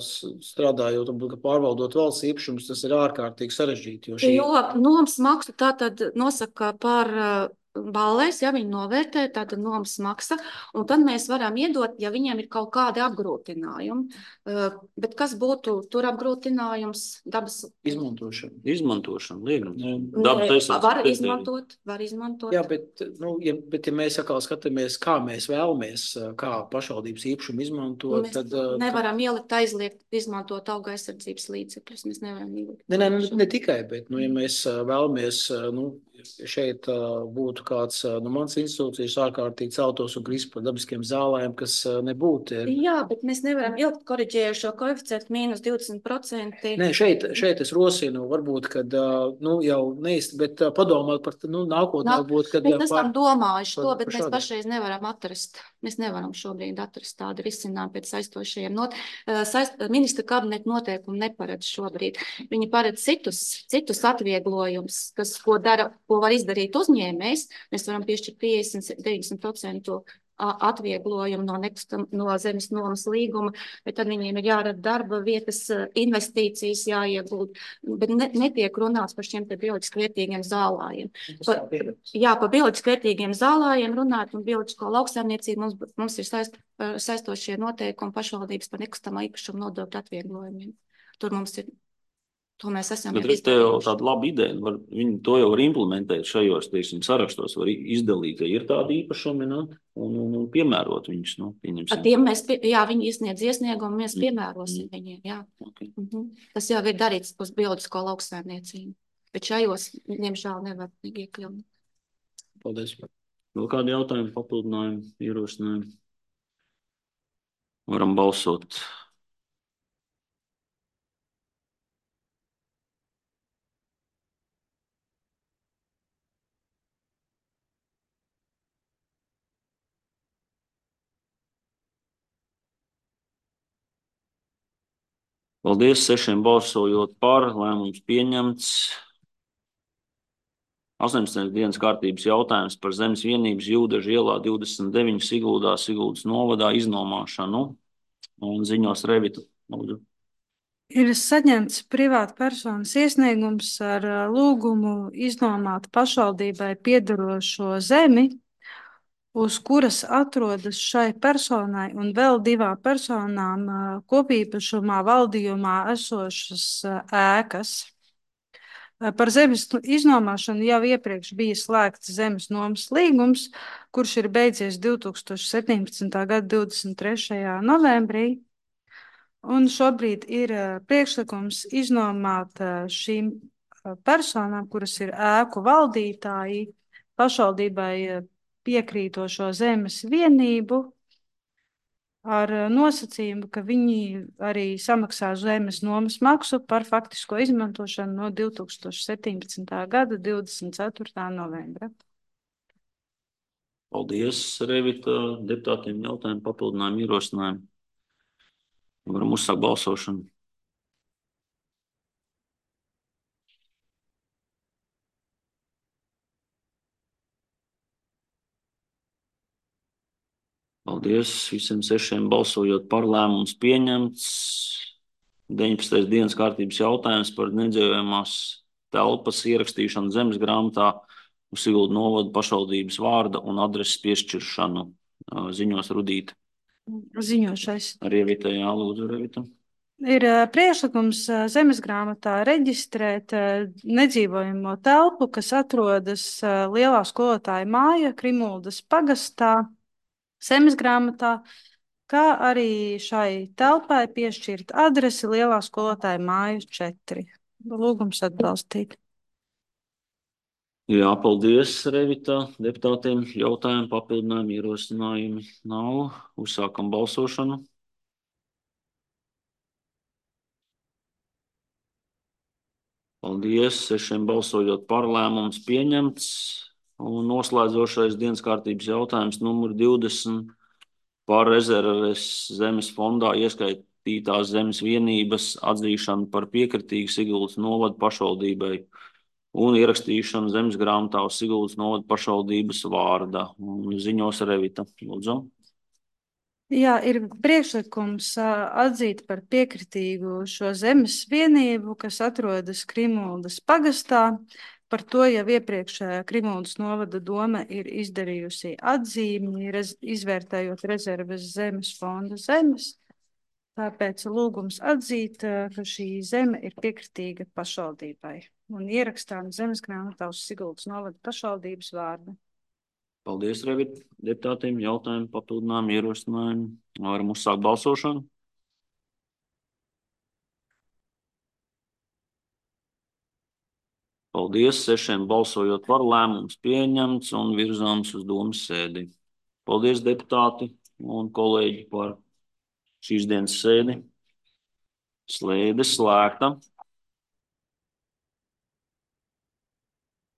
strādājot, pārvaldot valsts īpašumus, tas ir ārkārtīgi sarežģīti. Jo, šī... jo nomas maksu tātad nosaka par uh, balēs, ja viņi novērtē, tātad nomas maksa, un tad mēs varam iedot, ja viņiem ir kaut kādi apgrūtinājumi. Uh, bet kas būtu tur apgrūtinājums? Dabas... Izmantošana. Izmantošana, liegums. Dabas var izmantot, var izmantot. Jā, bet, nu, ja, bet ja mēs atkal skatāmies, kā mēs vēlamies, kā pašvaldības īpašumu izmantot, mēs tad... nevaram tad... ielikt aizliegt izmantot auga aizsardzības līdzekļus, mēs nevaram ielikt. Ne, ne, ne, ne tikai, bet, nu, ja mēs vēlamies, nu, šeit būtu kāds, nu, mans institūcijas ārkārtīgi celtos un krist par dabiskiem zālēm, kas nebūtu. Ir... Jā, bet mēs nevaram ilgt koriģējušo koeficientu mīnus divdesmit procenti. Nē, šeit, šeit es rosinu, varbūt, kad, nu, jau neist, bet padomāt par, nu, nākotnē Nā, varbūt, kad... Mēs esam domājuši par, to, bet par mēs pašreiz nevaram atrast. Mēs nevaram šobrīd atrast tādu risinājumu pēc saistošajiem. Not, saist, ministra kabineta noteikumi neparedz šobrīd. Viņi paredz citus, citus atvieglojumus, kas, ko dara, ko var izdarīt uzņēmējs. Mēs varam piešķirt piecdesmit līdz deviņdesmit procentu atvieglojumu no, nekustam, no zemes nomas līguma, bet tad viņiem ir jārada darba vietas, investīcijas jāiegūt, bet ne, netiek runāts par šiem te bioloģiski vērtīgiem zālājiem. Pa, jā, par bioloģiski vērtīgiem zālājiem runāt un bioloģisko lauksaimniecību mums, mums ir saist, saistošie noteikumi pašvaldības par nekustamā īpašuma nodokļu atvieglojumiem. Tur mums ir To mēs esam Bet redz, te jau tāda laba ideja, var, viņi to jau var implementēt šajos, teiksim, sarakstos, var izdalīt, ja ir tādi īpašumi, nu, un, un, un piemērot viņus, nu, pieņemsim. Ar tiem mēs, pie, jā, viņi iesniedz iesniegumu, mēs piemērosim mm. viņiem, jā. Okay. Mm-hmm. Tas jau ir darīts uz bioloģisko lauksaimniecību, bet šajos, diemžēl, nevar iekļaut. Paldies. Vēl kādi jautājumi, papildinājumi, ierosinājumi? Varam balsot. Paldies, sešiem balsojot par, lēmums pieņemts. astoņpadsmitais dienas kārtības jautājums par zemes vienības Jūdeža ielā divdesmit deviņi Siguldā, Siguldas novadā iznomāšanu. Un ziņos Revita. Ir saņemts privāta personas iesniegums ar lūgumu iznomāt pašvaldībai piederošo zemi, uz kuras atrodas šai personai un vēl divām personām kopīpašumā valdījumā esošas ēkas. Par zemes iznomāšanu jau iepriekš bija slēgts zemes nomas līgums, kurš ir beidzies divi tūkstoši septiņpadsmitā gada divdesmit trešajā novembrī. Un šobrīd ir priekšlikums iznomāt šīm personām, kuras ir ēku valdītāji, pašvaldībai piekrītošo zemes vienību ar nosacījumu, ka viņi arī samaksā zemes nomas maksu par faktisko izmantošanu no divi tūkstoši septiņpadsmitā gada divdesmit ceturtā novembra. Paldies, Revita, deputātiem jautājumu, papildinājumu, ierosinājumu. Varam uzsākt balsošanu. Paldies visiem sešiem balsojot par, lēmums pieņemts. deviņpadsmitais dienas kārtības jautājums par nedzīvojamās telpas ierakstīšanu zemes grāmatā uz Siguldu novadu pašvaldības vārda un adreses piešķiršanu. Ziņos Rudīta. Ziņošais. Revita, jā, lūdzu, Revita. Ir priekšlikums zemes grāmatā reģistrēt nedzīvojamo telpu, kas atrodas Lielā skolotāja māja Krimuldas pagastā, zemes grāmatā, kā arī šai telpai piešķirt adresi Lielā skolotāja mājas četri. Lūgums atbalstīt. Jā, paldies, Revita. Deputātiem jautājumi, papildinājumi, ierosinājumi nav. Uzsākam balsošanu. Paldies. Sešiem balsojot par, lēmums pieņemts. Un noslēdzošais dienas kārtības jautājums numur divdesmit par rezerves zemes fondā ieskaitītās zemes vienības atzīšanu par piekritīgu Siguldas novada pašvaldībai un ierakstīšanu zemes grāmatā uz Siguldas novada pašvaldības vārda. Un ziņos Revita. Lūdzu. Jā, ir priekšlikums ā, atzīt par piekritīgu šo zemes vienību, kas atrodas Krimuldas pagastā. Par to jau iepriekšējā Krimuldas novada doma ir izdarījusi atzīmi, rez, izvērtējot rezerves zemes fonda zemes. Tāpēc lūgums atzīt, ā, ka šī zeme ir piekritīga pašvaldībai un ierakstām zemes grāmatā uz Siguldas novada pašvaldības vārdu. Paldies, Revita. Deputātiem jautājumi, papildinājumi, ierosinājumi. Varam uzsākt balsošanu. Paldies. Sešiem balsojot par, lēmums pieņemts un virzāms uz domas sēdi. Paldies, deputāti un kolēģi, par šīs dienas sēdi. Slēde slēgta.